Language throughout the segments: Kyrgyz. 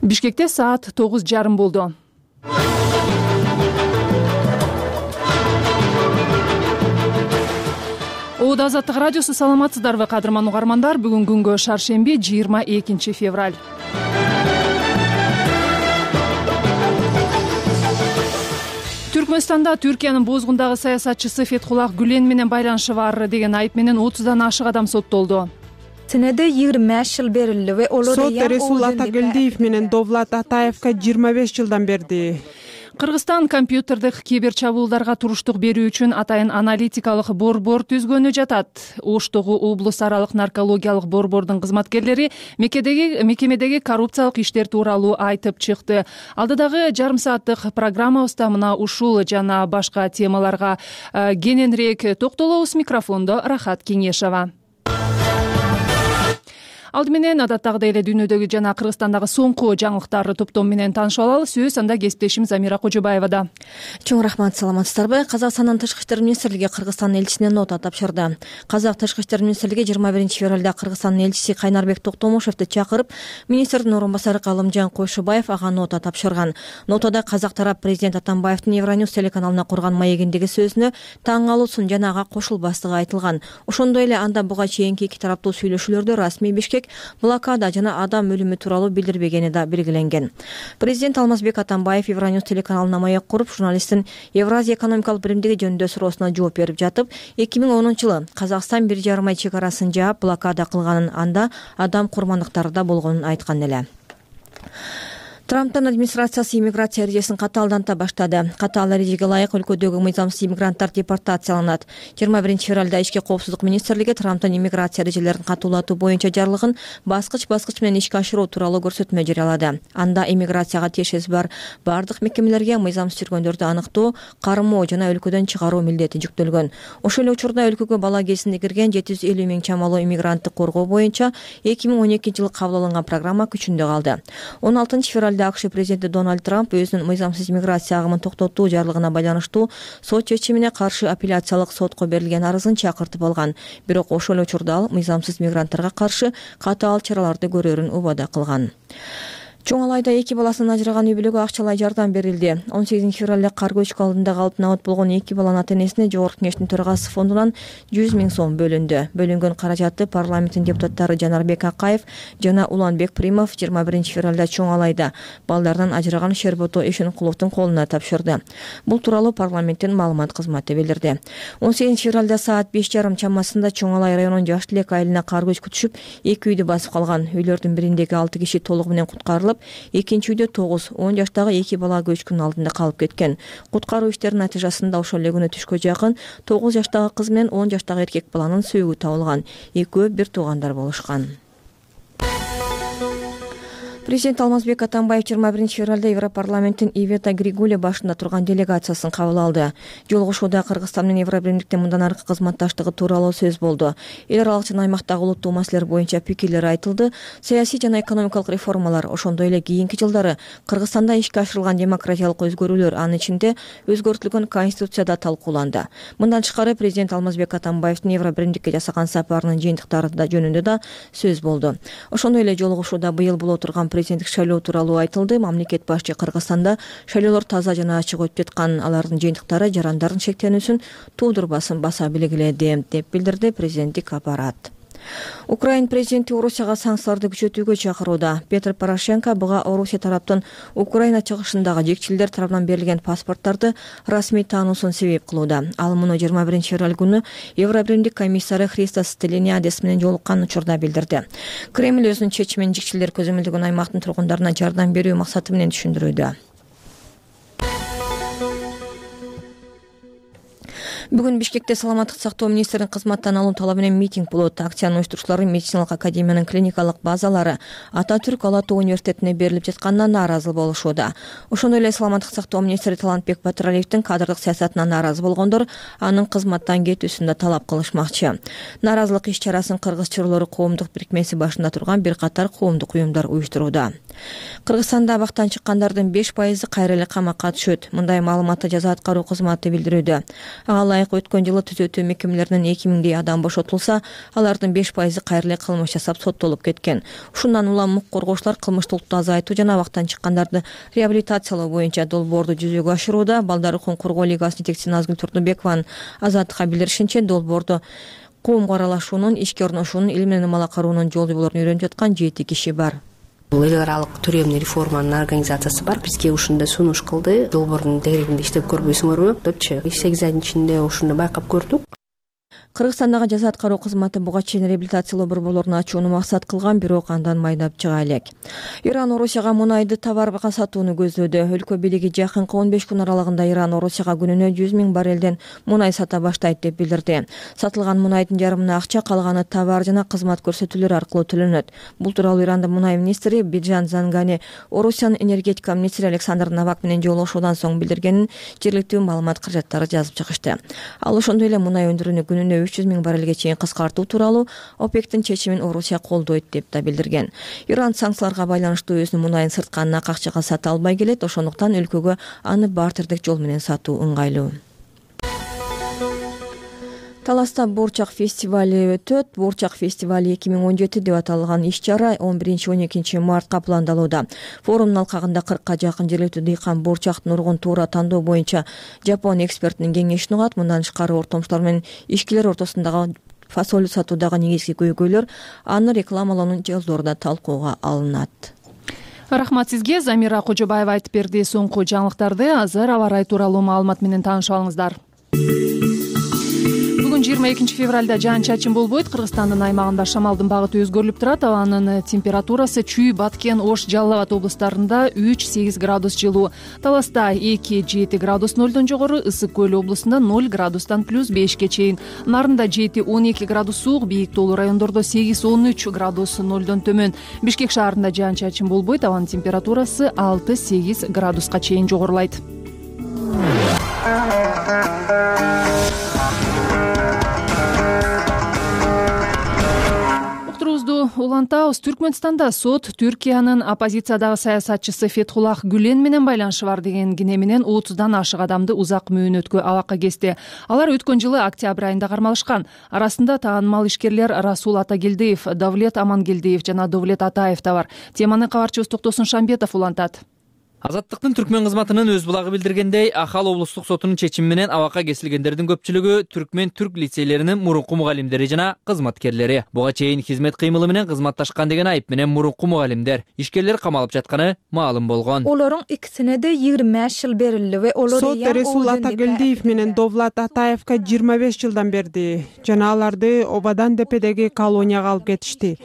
Бишкекте саат 9:30 болду. Оодо Азаттык радиосу, саламатсыздарбы кадырман угармандар? Бүгүн күнгө шаршемби, 22 февраль. Түркмөнстанда Түркиянын бозгундагы саясатчысы Фетхуллах Гүлен менен байланышы бар деген айып менен 30дан ашык адам соттолду. Сенеде 25 жыл берилди. Сот Ресул Атагелдиев менен Довлат Атаевка 25 жылдан берди. Кыргызстан компьютердик кибер чабуулдарга туруштук берүү үчүн атайын аналитикалык борбор түзгөнү жатат. Оштогу облус аралык наркологиялык борбордун кызматкерлери мекемедеги коррупциялык иштер тууралуу айтып чыкты. Алдыдагы жарым сааттык программабызда мына ушул жана башка темаларга кененирээк токтолобуз. Микрофондо Рахат Кеңешова. Алды менен адаттагыдай эле дүйнөдөгү жана Кыргызстандагы соңку жаңылыктарды топтом менен таанышып алалы. Сөз анда кесиптешим Замира Кожобаевада. Чоң рахмат, саламатсыздарбы? Казакстандын Тышкы иштер министрлиги Кыргызстандын элчисине нота тапшырды. Казак Тышкы иштер министрлиги 21 февралда Кыргызстандын элчиси Кайнарбек Токтомушевди чакырып, министрдин орун басары Калымжан Койшубаев ага нота тапшырган. Нотада казак тарап президент Атамбаевдин Евроньюз телеканалына курган маегиндеги сөзүнө таң калуусун жана ага кошулбастыгы айтылган. Ошондой эле анда буга чейинки эки тараптуу сүйлөшүүлөрдө расмий Бишкек блокада жана адам өлүмү тууралуу билдирбегени да белгиленген. Президент Алмазбек Атамбаев Евроньюз телеканалына маек куруп, журналисттин Евразия экономикалык биримдиги жөнүндө суроосуна жооп берип жатып, 2010-жылы Казакстан 1,5 ай чек арасын жаап блокада кылганын, анда адам курмандыктары да болгонун айткан эле. Трамптын администрациясы иммиграция эрежесин катаалданта баштады. Катаал эрежеге ылайык өлкөдөгү мыйзамсыз иммигранттар депортацияланат. 21 февралда Ички коопсуздук министрлиги Трамптын иммиграция эрежелерин катуулатуу боюнча жарлыгын баскыч менен ишке ашыруу тууралуу көрсөтмө жарыялады. Анда иммиграцияга тиешеси бар бардык мекемелерге мыйзамсыз жүргөндөрдү аныктоо, кармоо жана өлкөдөн чыгаруу милдети жүктөлгөн. Ошол эле учурда өлкөгө бала кезинде кирген 750 миң чамалуу иммигрантты коргоо боюнча 2012-жылы кабыл алынган программа күчүндө калды. 16 февралда АКШ президенти Дональд Трамп өзүнүн мыйзамсыз иммиграция агымын токтотуу жарлыгына байланыштуу сот чечимине каршы апелляциялык сотко берилген арызын чакыртып алган. Бирок ошол эле учурда ал мыйзамсыз мигранттарга каршы катаал чараларды көрөрүн убада кылган. Чоң Алайда 2 баласынан ажыраган үй бүлөгө акчалай жардам берилди. 18 февралда кар көчкү алдында калып набат болгон 2 баланын ата-энесине Жогорку Кеңештин төрагасы фондунан 100 миң сом бөлүндү. Бөлүнгөн каражатты парламенттин депутаттары Жанарбек Акаев жана Уланбек Примов 21 февралда Чоң Алайда балдарынан ажыраган Шербото Эшенкуловдун колуна тапшырды. Бул тууралуу парламенттин маалымат кызматы билдирди. 18 февралда саат 5:30 чамасында Чоң Алай районунун Жаш Тилек айылына кар көчкү түшүп, 2 үйдү басып калган. Үйлөрдүн бириндеги 6 киши толугу менен куткарылып, экинчи үйдө 10 жаштагы 2 бала көчкүнүн алдында калып кеткен. Куткаруу иштеринин натыйжасында ошол эле күнү түшкө жакын 9 жаштагы кыз менен 10 жаштагы эркек баланын сөөгү табылган. Экөө бир туугандар болушкан. Президент Алмазбек Атамбаев 21 февралда Европарламенттин Ивета Григуле башында турган делегациясын кабыл алды. Жолугушууда Кыргызстан менен Евробиримдиктин мындан аркы кызматташтыгы тууралуу сөз болду. Эл аралык жана аймактагы улуттуу маселелер боюнча пикирлер айтылды. Саясий жана экономикалык реформалар, ошондой эле кийинки жылдары Кыргызстанда ишке ашырылган демократиялык өзгөрүүлөр, анын ичинде өзгөртүлгөн конституцияда талкууланды. Мындан тышкары президент Алмазбек Атамбаевдин Евробиримдикке жасаган сапарынын жыйынтыктары жөнүндө да сөз болду. Ошондой эле жолугушууда быйыл боло турган президенттик шайлоо тууралуу айтылды. Мамлекет башчы Кыргызстанда шайлоолор таза жана ачык өтүп жаткан, алардын жыйынтыктары жарандардын шектенүүсүн туудурбасын баса белгиледи, деп билдирди президенттик аппарат. Украин президенти Орусияга санкцияларды күчөтүүгө чакырууда. Петр Порошенко буга Орусия тараптын Украина чыгышындагы жекчилдер тарабынан берилген паспорттарды расмий таануусун себеп кылууда. Ал муну 21 февраль күнү Евробиримдик комиссары Христос Стилянидис менен жолуккан учурда билдирди. Кремль өзүнүн чечимин жекчилдер көзөмөлдөгөн аймактын тургундарына жардам берүү максаты менен түшүндүрүүдө. Бүгүн Бишкекте саламаттык сактоо министринин кызматтан алуу талабы менен митинг болот. Акциянын уюштуруучулары медициналык академиянын клиникалык базалары Ата Түрк Ала Тоо университетине берилип жатканына нааразы болушууда. Ошондой эле саламаттык сактоо министри Талантбек Батыралиевдин кадрдык саясатына нааразы болгондор анын кызматтан кетүүсүн да талап кылышмакчы. Нааразылык иш чарасын Кыргыз чорлору коомдук бирикмеси башында турган бир катар коомдук уюмдар уюштурууда. Кыргызстанда абактан чыккандардын 5% кайра эле камакка түшөт. Мындай маалыматты жаза аткаруу кызматы билдирүүдө. Ага ылайык өткөн жылы түзөтүү мекемелеринен 2000дей адам бошотулса, алардын 5% кайра эле кылмыш жасап соттолуп кеткен. Ушундан улам укук коргоочулар кылмыштуулукту азайтуу жана абактан чыккандарды реабилитациялоо боюнча долбоорду жүзөгө ашырууда. Балдар укугун коргоо лигасынын жетекчиси Назгүл Турдубекованын Азаттыкка билдиришинче, долбоордо коомго аралашуунун, ишке орношуунун, ил менен ымала кароонун жол жоболорун үйрөнүп жаткан 7 киши бар. Бул эл аралык төрөмдү реформанын организациясы бар. Бизге ушундай сунуш кылды. Долбоордун тегерегинде иштеп көрбөйсүңөрбү депчи. 8 айдын ичинде ушуну байкап көрдүк. Кыргызстандагы жаза аткаруу кызматы буга чейин реабилитациялоо борборлорун ачууну максат кылган, бирок андан майдап чыга элек. Иран Орусияга мунайды товарга сатууну көздөөдө. Өлкө бийлиги жакынкы 15 күн аралыгында Иран Орусияга күнүнө 100 000 баррелден мунай сата баштайт деп билдирди. Сатылган мунайдын жарымына акча, калганы товар жана кызмат көрсөтүүлөр аркылуу төлөнөт. Бул тууралуу Ирандын мунай министри Биджан Зангани Орусиянын энергетика министри Александр Новак менен жолугушуудан соң билдиргенин жергиликтүү маалымат каражаттары жазып чыгышты. Ал ошондой эле мунай өндүрүүнү күнүнө 300 000 баррелге чейин кыскартуу тууралуу ОПЕКтин чечимин Орусия колдойт деп да билдирген. Иран санкцияларга байланыштуу өзүнүн мунайын сырткан акчага сата албай келет, ошондуктан өлкөгө аны бартердик жол менен сатуу ыңгайлуу. Таласта Бурчак фестивали өтөт. Бурчак фестивали 2017 деп аталган иш-чара 11-12 мартка пландалууда. Форумдун алкагында 40ка жакын жергиликтүү дыйкан бурчактын ургун туура тандоо боюнча Жапон экспертинин кеңешин угат. Мындан тышкары ортомчулар менен ишкерлер ортосундагы фасоль сатуудагы негизги көйгөйлөр, аны рекламалоонун жолдору да талкууга алынат. Рахмат сизге. Замира Кожобаева айтып берди. Соңку жаңылыктарды азыр аба ырайы тууралуу маалымат менен таанышып алыңыздар. Бүгүн 22 февралда жаан-чачын болбойт. Кыргызстандын аймагында шамалдын багыты өзгөрүлүп турат. Абанын температурасы Чүй, Баткен, Ош, Жалал Абад облустарында 3-8 градус жылуу. Таласта 2-7 градус нолдон жогору, Ысык көл облусунда 0 градустан +5ке чейин. Нарында 7-12 градус суук, бийик тоолуу райондордо 8-13 градус нолдон төмөн. Бишкек шаарында жаан-чачын болбойт. Абанын температурасы 6-8 градуска чейин жогорулайт. Улантабыз. Түркмөнстанда сот Түркиянын оппозициядагы саясатчысы Фетхуллах Гүлен менен байланышы бар деген кине менен 30дан ашык адамды узак мөөнөткө абакка кести. Алар өткөн жылы октябрь айында кармалышкан. Арасында таанымал ишкерлер Расул Атагелдиев, Давлет Амангелдиев жана Довлет Атаев да бар. Теманы кабарчыбыз Токтосун Шамбетов улантат. Азаттыктын түркмөн кызматынын өз булагы билдиргендей, Ахал облустук сотунун чечими менен абакка кесилгендердин көпчүлүгү түркмөн түрк лицейлеринин мурунку мугалимдери жана кызматкерлери. Буга чейин хизмет кыймылы менен кызматташкан деген айып менен мурунку мугалимдер, ишкерлер камалып жатканы маалым болгон. Олорун икисине де 25 жыл берилди ve олор Сот Расул Атагелдиев менен Довлат Атаевка 25 жылдан берди жана аларды Обадан депедеги колонияга алып кетишти.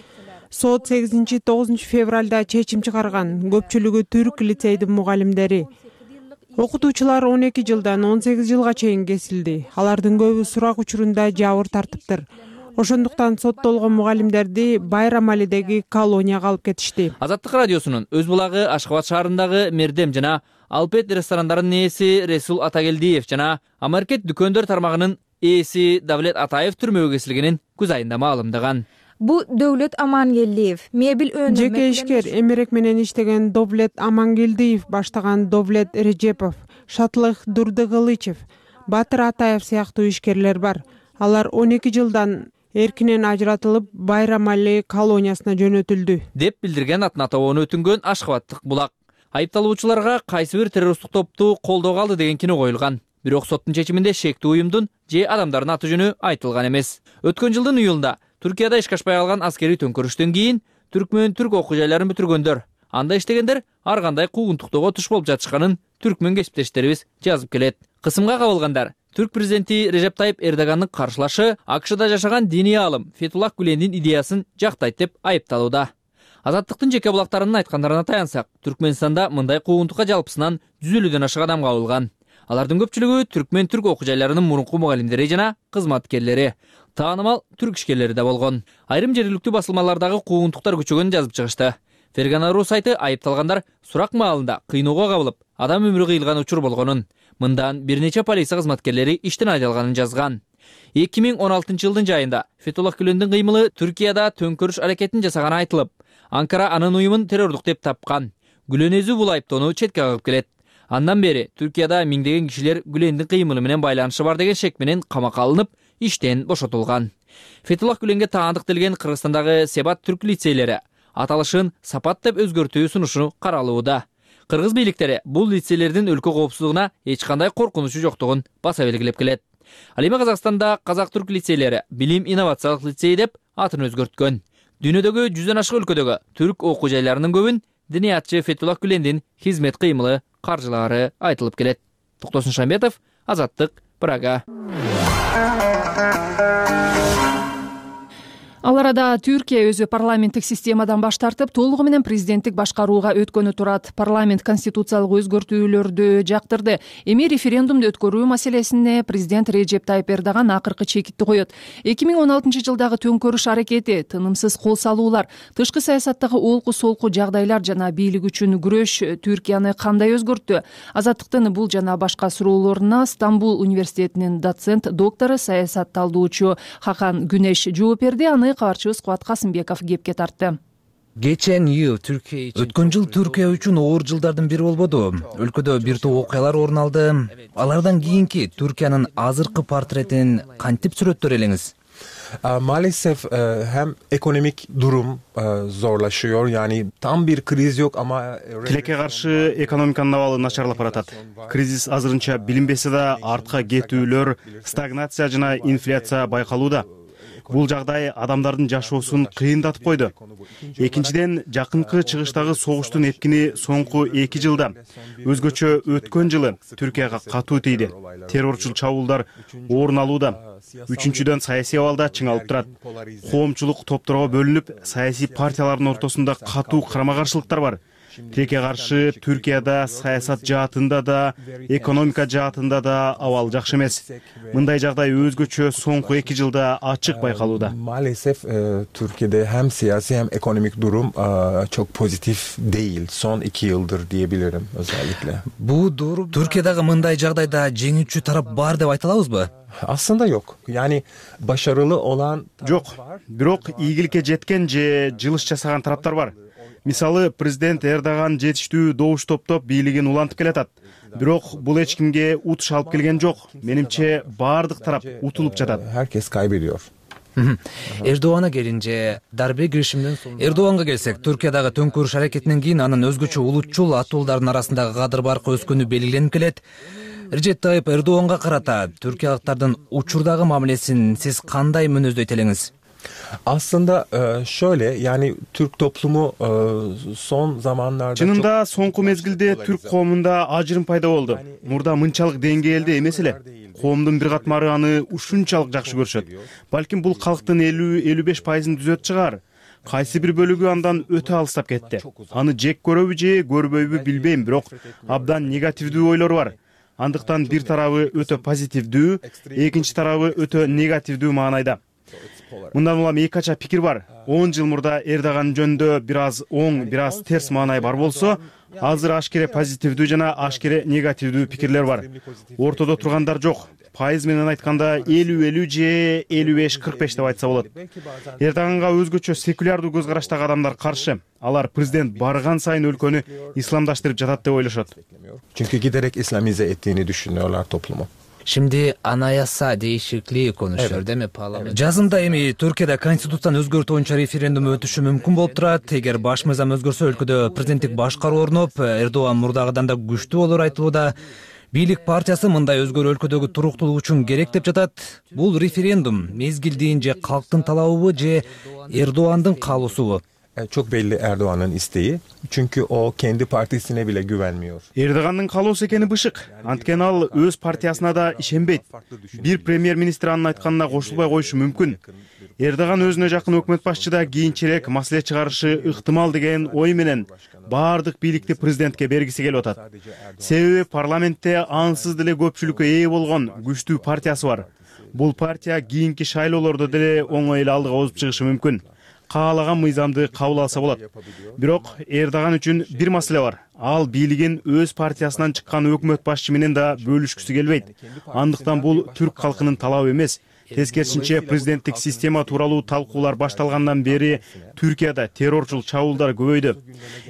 Сот 8-9 февралда чечим чыгарган. Көпчүлүгү түрк лицейдин мугалимдери. Окутуучулар 12 жылдан 18 жылга чейин кесилди. Алардын көбү сурак учурунда жабыр тартыптыр. Ошондуктан соттолгон мугалимдерди Байрамалидеги колонияга алып кетишти. Азаттык радиосунун өз булагы Ашкабад шаарындагы Мердем жана Алпет ресторандарынын ээси Расул Атагелдиев жана Амаркет дүкөндөр тармагынын ээси Давлет Атаев түрмөгө кесилгенин күз айында маалымдаган. Bu Довлет Амангелдиев мебель өнүмү Жеке ишкер эмерек менен иштеген Довлет Амангелдиев баштаган Довлет Режепов, Шатлык Дурдыгылычев, Батыр Атаев сыяктуу ишкерлер бар. Алар 12 жылдан эркинен ажыратылып Байрамали колониясына жөнөтүлдү деп билдирген атын атабоону өтүнгөн Ашкабаттык булак. Айыпталуучуларга кайсы бир террористтик топту колдоого алды деген кино коюлган. Бирок соттун чечиминде шектүү уюмдун же адамдардын аты жөнү айтылган эмес. Өткөн жылдын июлунда Түркияда ишке ашпай калган аскерий төңкөрүштөн кийин түркмөн түрк окуу жайларын бүтүргөндөр, анда иштегендер ар кандай куугунтуктоого туш болуп жатышканын түркмөн кесиптештерибиз жазып келет. Кысымга кабылгандар түрк президенти Режеп Тайып Эрдогандын каршылашы АКШда жашаган диний аалым Фетхуллах Гүлендин идеясын жактайт деп айыпталууда. Азаттыктын жеке булактарынын айткандарына таянсак, Түркмөнстанда мындай куугунтукка жалпысынан 150ден ашык адам кабылган. Алардын көпчүлүгү түркмөн түрк окуу жайларынын мурунку мугалимдери жана кызматкерлери, таанымал түрк ишкерлери да болгон. Айрым жергиликтүү басылмалардагы куугунтуктар күчөгөнүн жазып чыгышты. Фергана.ру сайты айыпталгандар сурак маалында кыйноого кабылып, адам өмүрү кыйылган учур болгонун, мындан бир нече полиция кызматкерлери иштен айдалганын жазган. 2016 жылдын жайында Фетхуллах Гүлендин кыймылы Түркияда төңкөрүш аракетин жасаганы айтылып, Анкара анын уюмун террордук деп тапкан. Гүлен өзү бул айыптоону четке кагып келет. Андан бери Түркияда миңдеген кишилер Гүлендин кыймылы менен байланышы бар деген шек менен камакка алынып, иштен бошотулган. Фетуллах Гүленге таандык делген Кыргызстандагы Себат түрк лицейлери аталышын Сапат деп өзгөртүү сунушу каралууда. Кыргыз бийликтери бул лицейлердин өлкө коопсуздугуна эч кандай коркунучу жоктугун баса белгилеп келет. Ал эми Казакстанда Казак-түрк лицейлери билим инновациялык лицей деп атын өзгөрткөн. Дүйнөдөгү 100дөн ашык өлкөдөгү түрк окуу жайларынын көбүн диниятчы Фетуллах Гүлендин хизмет кыймылы каржылаары айтылып келет. Токтосун Шамбетов, Азаттык, Прага. Ал арада Түркия өзү парламенттик системадан баш тартып, толугу менен президенттик башкарууга өткөнү турат. Парламент конституциялык өзгөртүүлөрдү жактырды. Эми референдумду өткөрүү маселесине президент Режеп Тайып Эрдоган акыркы чекитти коет. 2016 жылдагы төңкөрүш аракети, тынымсыз кол салуулар, тышкы саясаттагы олку-солку жагдайлар жана бийлик үчүн күрөш Түркияны кандай өзгөрттү? Азаттыктын бул жана башка суроолоруна Стамбул университетинин доцент, доктору, саясатталуучу Хакан Күнеш жооп берди. Аны кабарчыбыз Кубат Касымбеков кепке тартты. Өткөн жыл Түркия үчүн оор жылдардын бири болбоду. Өлкөдө бир топ окуялар орун алды. Алардан кийинки Түркиянын азыркы портретин кантип сүрөттөр элеңиз? Maalesef hem ekonomik durum zorlaşıyor. Yani tam bir kriz yok ama тилекке каршы экономиканын абалы начарлап баратат. Кризис азырынча билинбесе да артка кетүүлөр, стагнация жана инфляция байкалууда. Бул жагдай адамдардын жашоосун кыйындатып койду. Экинчиден, жакынкы чыгыштагы согуштун эткини соңку 2 жылда, өзгөчө өткөн жылы Түркияга катуу тийди. Террорчул чабуулдар орун алууда. Үчүнчүдөн, саясий абалда чыңалып турат. Коомчулук топторго бөлүнүп, саясий партиялардын ортосунда катуу карама-каршылыктар бар. Тилекке каршы Түркияда саясат жаатында да, экономика жаатында да абал жакшы эмес. Мындай жагдай өзгөчө соңку 2 жылда ачык байкалууда. Maalesef Türkiye'de hem siyasi hem ekonomik durum çok pozitif değil. Son 2 yıldır diyebilirim özellikle. Bu doğru. Türkiye'dagi мындай жагдайда жеңүүчү тарап бар деп айта алабызбы? Aslında yok. Yani başarılı olan Жок, бирок ийгиликке жеткен же жылыш жасаган тараптар бар. Мисалы, президент Эрдоган жетиштүү добуш топтоп бийлигин улантып келатат. Бирок бул эч кимге утуш алып келген жок. Менимче баардык тарап утулуп жатат. herkes kaybediyor. Эрдоганга келинce дарбе киришимден соң Эрдоганга келсек, Түркиядагы төңкөрүш аракетинен кийин анын өзгөчө улутчул атуулдардын арасындагы кадыр баркы өскөнү белгиленип келет. Режеп Тайып Эрдоганга карата түркиялыктардын учурдагы мамилесин сиз кандай мүнөздөйт элеңиз? Aslında şöyle, yani Türk toplumu son zamanlarda Чынында соңку мезгилде түрк коомунда ажырым пайда болду. Мурда мынчалык деңгээлде эмес эле. Коомдун бир катмары аны ушунчалык жакшы көрүшөт. Балким бул калктын 50-55% түзөт чыгар. Кайсы бир бөлүгү андан өтө алыстап кетти. Аны жек көрөбү же көрбөйбү билбейм, бирок абдан негативдүү ойлор бар. Андыктан бир тарабы өтө позитивдүү, экинчи тарабы өтө негативдүү маанайда. Мындан улам эки кача пикир бар. 10 жыл мурда Эрдоган жөнүндө бир аз оң, бир аз терс маанай бар болсо, азыр ашкере позитивдүү жана ашкере негативдүү пикирлер бар. Ортодо тургандар жок. Пайыз менен айтканда 50-50 же 55-45 деп айтса болот. Эрдоганга өзгөчө секулярдуу көз караштагы адамдар каршы. Алар президент барган сайын өлкөнү исламдаштырып жатат деп ойлошот. Çünkü giderek İslamize ettiğini düşünüyorlar toplumu. Şimdi anayasa değişikliği konuşuyor değil mi parlament? Жазында эми Түркияда конституцияны өзгөртүү боюнча референдум өтүшү мүмкүн болуп турат. Эгер баш мыйзам өзгөрсө, өлкөдө президенттик башкаруу орноп, Эрдоган мурдагыдан да күчтүү болор айтылууда. Бийлик партиясы мындай өзгөрүү өлкөдөгү туруктуулук үчүн керек деп жатат. Бул референдум мезгилдин же калктын талабыбы же Эрдогандын каалоосубу? Çok belli Erdoğan'ın isteği. Çünkü o kendi partisine bile güvenmiyor. Эрдогандын каалоосу экени бышык. Анткени ал өз партиясына да ишенбейт. Бир премьер-министр анын айтканына кошулбай коюшу мүмкүн. Эрдоган өзүнө жакын өкмөт башчыда кийинчерээк маселе чыгарышы ыктымал деген ой менен баардык бийликти президентке бергиси келип атат. Себеби парламентте ансыз деле көпчүлүккө ээ болгон күчтүү партиясы бар. Бул партия кийинки шайлоолордо деле оңой эле алдыга озуп чыгышы мүмкүн. Каалаган мыйзамды кабыл алса болот. Бирок Эрдоган үчүн бир маселе бар. Ал бийлигин өз партиясынан чыккан өкмөт башчы менен да бөлүшкүсү келбейт. Андыктан бул түрк калкынын талабы эмес. Тескерисинче, президенттик система тууралуу талкуулар башталгандан бери Түркияда террорчул чабуулдар көбөйдү.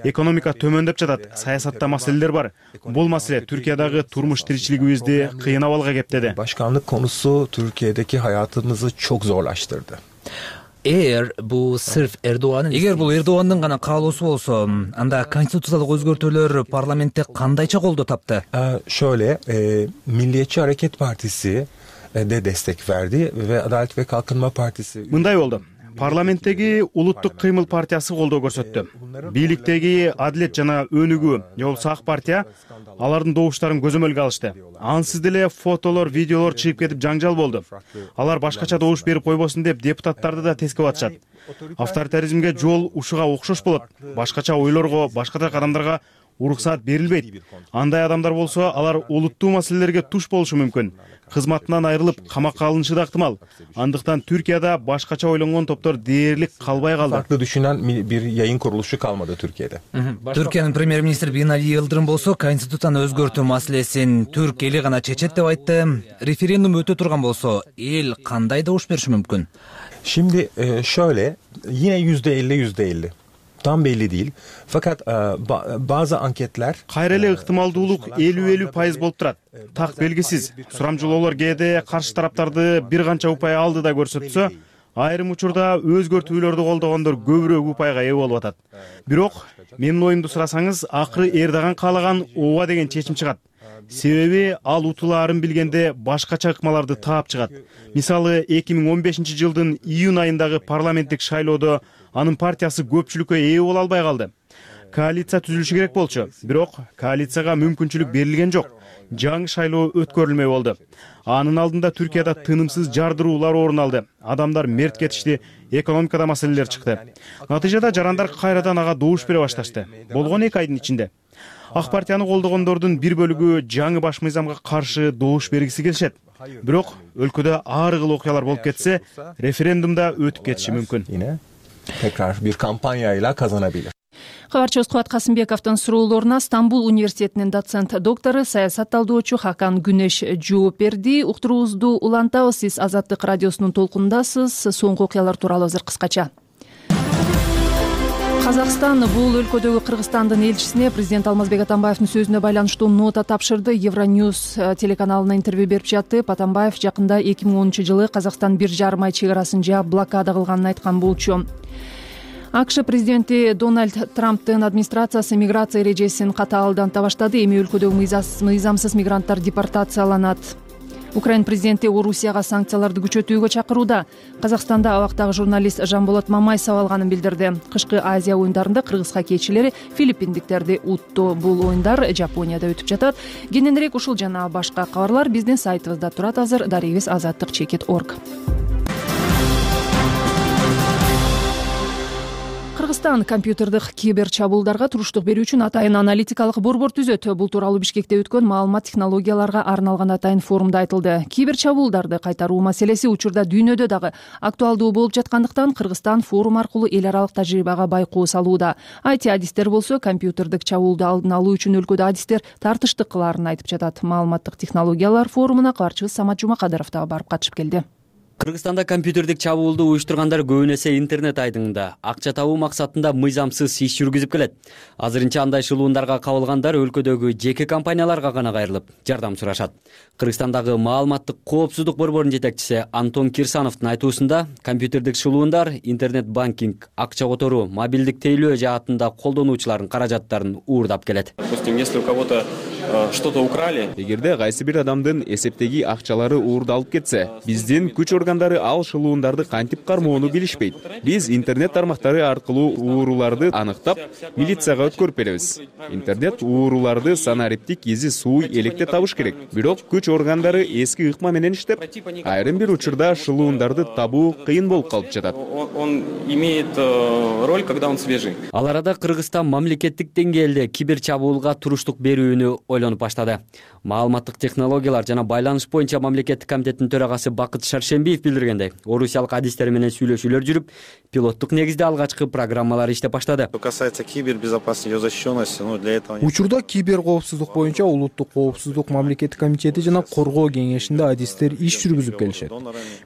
Экономика төмөндөп жатат, саясатта маселелер бар. Бул маселе Türkiye'dagi turmuş tirikçiligimizdi kıyına balga keptedi. Başkanlık konusu Türkiye'deki hayatımızı çok zorlaştırdı. Эгер бул Эрдогандын гана каалоосу болсо, анда конституциялык өзгөртүүлөр парламентте кандайча колдоо тапты? Şöyle, Milliyetçi Hareket Partisi de destek verdi ve Adalet ve Kalkınma Partisi... Мындай болду. Парламенттеги Улуттук кыймыл партиясы колдоо көрсөттү. Бийликтеги Адилет жана Өнүгүү, же болбосо Ак партия алардын добуштарын көзөмөлгө алышты. Ансыз деле фотолор, видеолор чыгып кетип жаңжал болду. Алар башкача добуш берип койбосун деп депутаттарды да тескеп атышат. Авторитаризмге жол ушуга окшош болот. Башкача ойлорго, башкача кадамдарга уруксаат берилбейт. Андай адамдар болсо, алар улуттуу маселелерге туш болушу мүмкүн. Кызматынан айрылып, камакка алынышы да ыктымал. Андыктан Türkiye'de башкача ойлонгон топтор дээрлик калбай калды. Farklı düşünen bir yayın kuruluşu kalmadı Türkiye'de. Türkiye'nin Premier-Ministri Binali Yıldırım bolсо, конституцияны өзгөртүү маселесин Түрк эли гана чечет деп айтты. Референдум өтө турган болсо, эл кандай добуш бериши мүмкүн? Şimdi şöyle, yine %50. Tam belli değil. Fakat bazı anketler... Кайра эле ыктымалдуулук 50% болуп турат. Так белгисиз. Сурамжылоолор кээде каршы тараптарды бир канча упай алды да көрсөтсө, айрым учурда өзгөртүүлөрдү колдогондор көбүрөөк упайга ээ болуп атат. Бирок, менин оюмду сурасаңыз, акыры Эрдоган каалаган ооба деген чечим чыгат. Себеби ал утулаарын билгенде башкача ыкмаларды таап чыгат. Мисалы 2015-жылдын июнь айындагы парламенттик шайлоодо анын партиясы көпчүлүккө ээ боло албай калды. Коалиция түзүлүшү керек болчу, бирок коалицияга мүмкүнчүлүк берилген жок. Жаңы шайлоо өткөрүлмөй болду. Анын алдында Түркияда тынымсыз жардыруулар орун алды. Адамдар мерт кетишти, экономикада маселелер чыкты. Натыйжада жарандар кайрадан ага добуш бере башташты. Болгон 2 айдын ичинде. Ак партияны колдогондордун бир бөлүгү жаңы баш мыйзамга каршы добуш бергиси келишет. Бирок өлкөдө ар кыл окуялар болуп кетсе, референдумда өтүп кетиши мүмкүн. Yine tekrar bir kampanyayla kazanabilir. Кабарчыбыз Кубат Касымбековдун суроолоруна Стамбул университетинин доцент доктору, саясат талдоочу Хакан Күнеш жооп берди. Уктуруубузду улантабыз. Сиз Азаттык радиосунун толкунундасыз. Соңку окуялар тууралуу азыр кыскача. Казакстан бул өлкөдөгү Кыргызстандын элчисине президент Алмазбек Атамбаевдин сөзүнө байланыштуу нота тапшырды. Евроньюз телеканалына интервью берип жатып, Атамбаев жакында 2010-жылы Казакстан 1,5 ай чек-арасын жаап блокада кылганын айткан болчу. АКШ президенти Дональд Трамптын администрациясы миграция эрежесин катаалданта баштады. Эми өлкөдөгү мыйзамсыз мигранттар депортацияланат. Украин президенти Орусияга санкцияларды күчөтүүгө чакырууда. Казакстанда абактагы журналист Жанболот Мамай сабалганын билдирди. Кышкы Азия оюндарында кыргыз хоккейчилери филиппиндиктерди утту. Бул оюндар Жапонияда өтүп жатат. Кененирээк ушул жана башка кабарлар биздин сайтыбызда турат азыр. Дарегибиз azattik.org. Кыргызстан компьютердик кибер чабуулдарга туруштук берүү үчүн атайын аналитикалык борбор түзөт. Бул тууралуу Бишкекте өткөн маалымат технологияларга арналган атайын форумда айтылды. Кибер чабуулдарды кайтаруу маселеси учурда дүйнөдө дагы актуалдуу болуп жаткандыктан Кыргызстан форум аркылуу эл аралык тажрыйбага байкоо салууда. IT-адистер болсо компьютердик чабуулду алдын алуу үчүн өлкөдө адистер тартыштык кылаарын айтып жатат. Маалыматтык технологиялар форумуна кабарчыбыз Самат Жумакадыров да барып катышып келди. Кыргызстанда компьютердик чабуулду уюштургандар көбүн эсе интернет айдыңында акча табуу максатында мыйзамсыз иш жүргүзүп келет. Азырынча андай шылуундарга кабылгандар өлкөдөгү жеке компанияларга гана кайрылып жардам сурашат. Кыргызстандагы маалыматтык коопсуздук борборунун жетекчиси Антон Кирсановдун айтуусунда, компьютердик шылуундар интернет банкинг, акча которуу, мобилдик тейлөө жаатында колдонуучулардын каражаттарын уурдап келет. Допустим, если у кого-то что-то украли. Эгерде кайсы бир адамдын эсептеги акчалары уурдалып кетсе, биздин күч органдары ал шылуундарды кантип кармоону билишпейт. Биз интернет тармактары аркылуу ууруларды аныктап, милицияга өткөрүп беребиз. Интернет ууруларды санариптик изи суу электе табыш керек. Бирок күч органдары эски ыкма менен иштеп, айрым бир учурда шылуундарды табуу кыйын болуп калып жатат. Он имеет роль, когда он свежий. Ал арада Кыргызстан мамлекеттик деңгээлде кибер чабуулга туруштук берүүнү ойлонуп баштады. Маалыматтык технологиялар жана байланыш боюнча мамлекеттик комитеттин төрагасы Бакыт Шаршембиев билдиргендей, орусиялык адистер менен сүйлөшүүлөр жүрүп, пилоттук негизде алгачкы программалар иштеп баштады. Что касается кибербезопасности и защищенности, для этого учурда кибер коопсуздук боюнча улуттук коопсуздук мамлекеттик комитети жана коргоо кеңешинде адистер иш жүргүзүп келишет.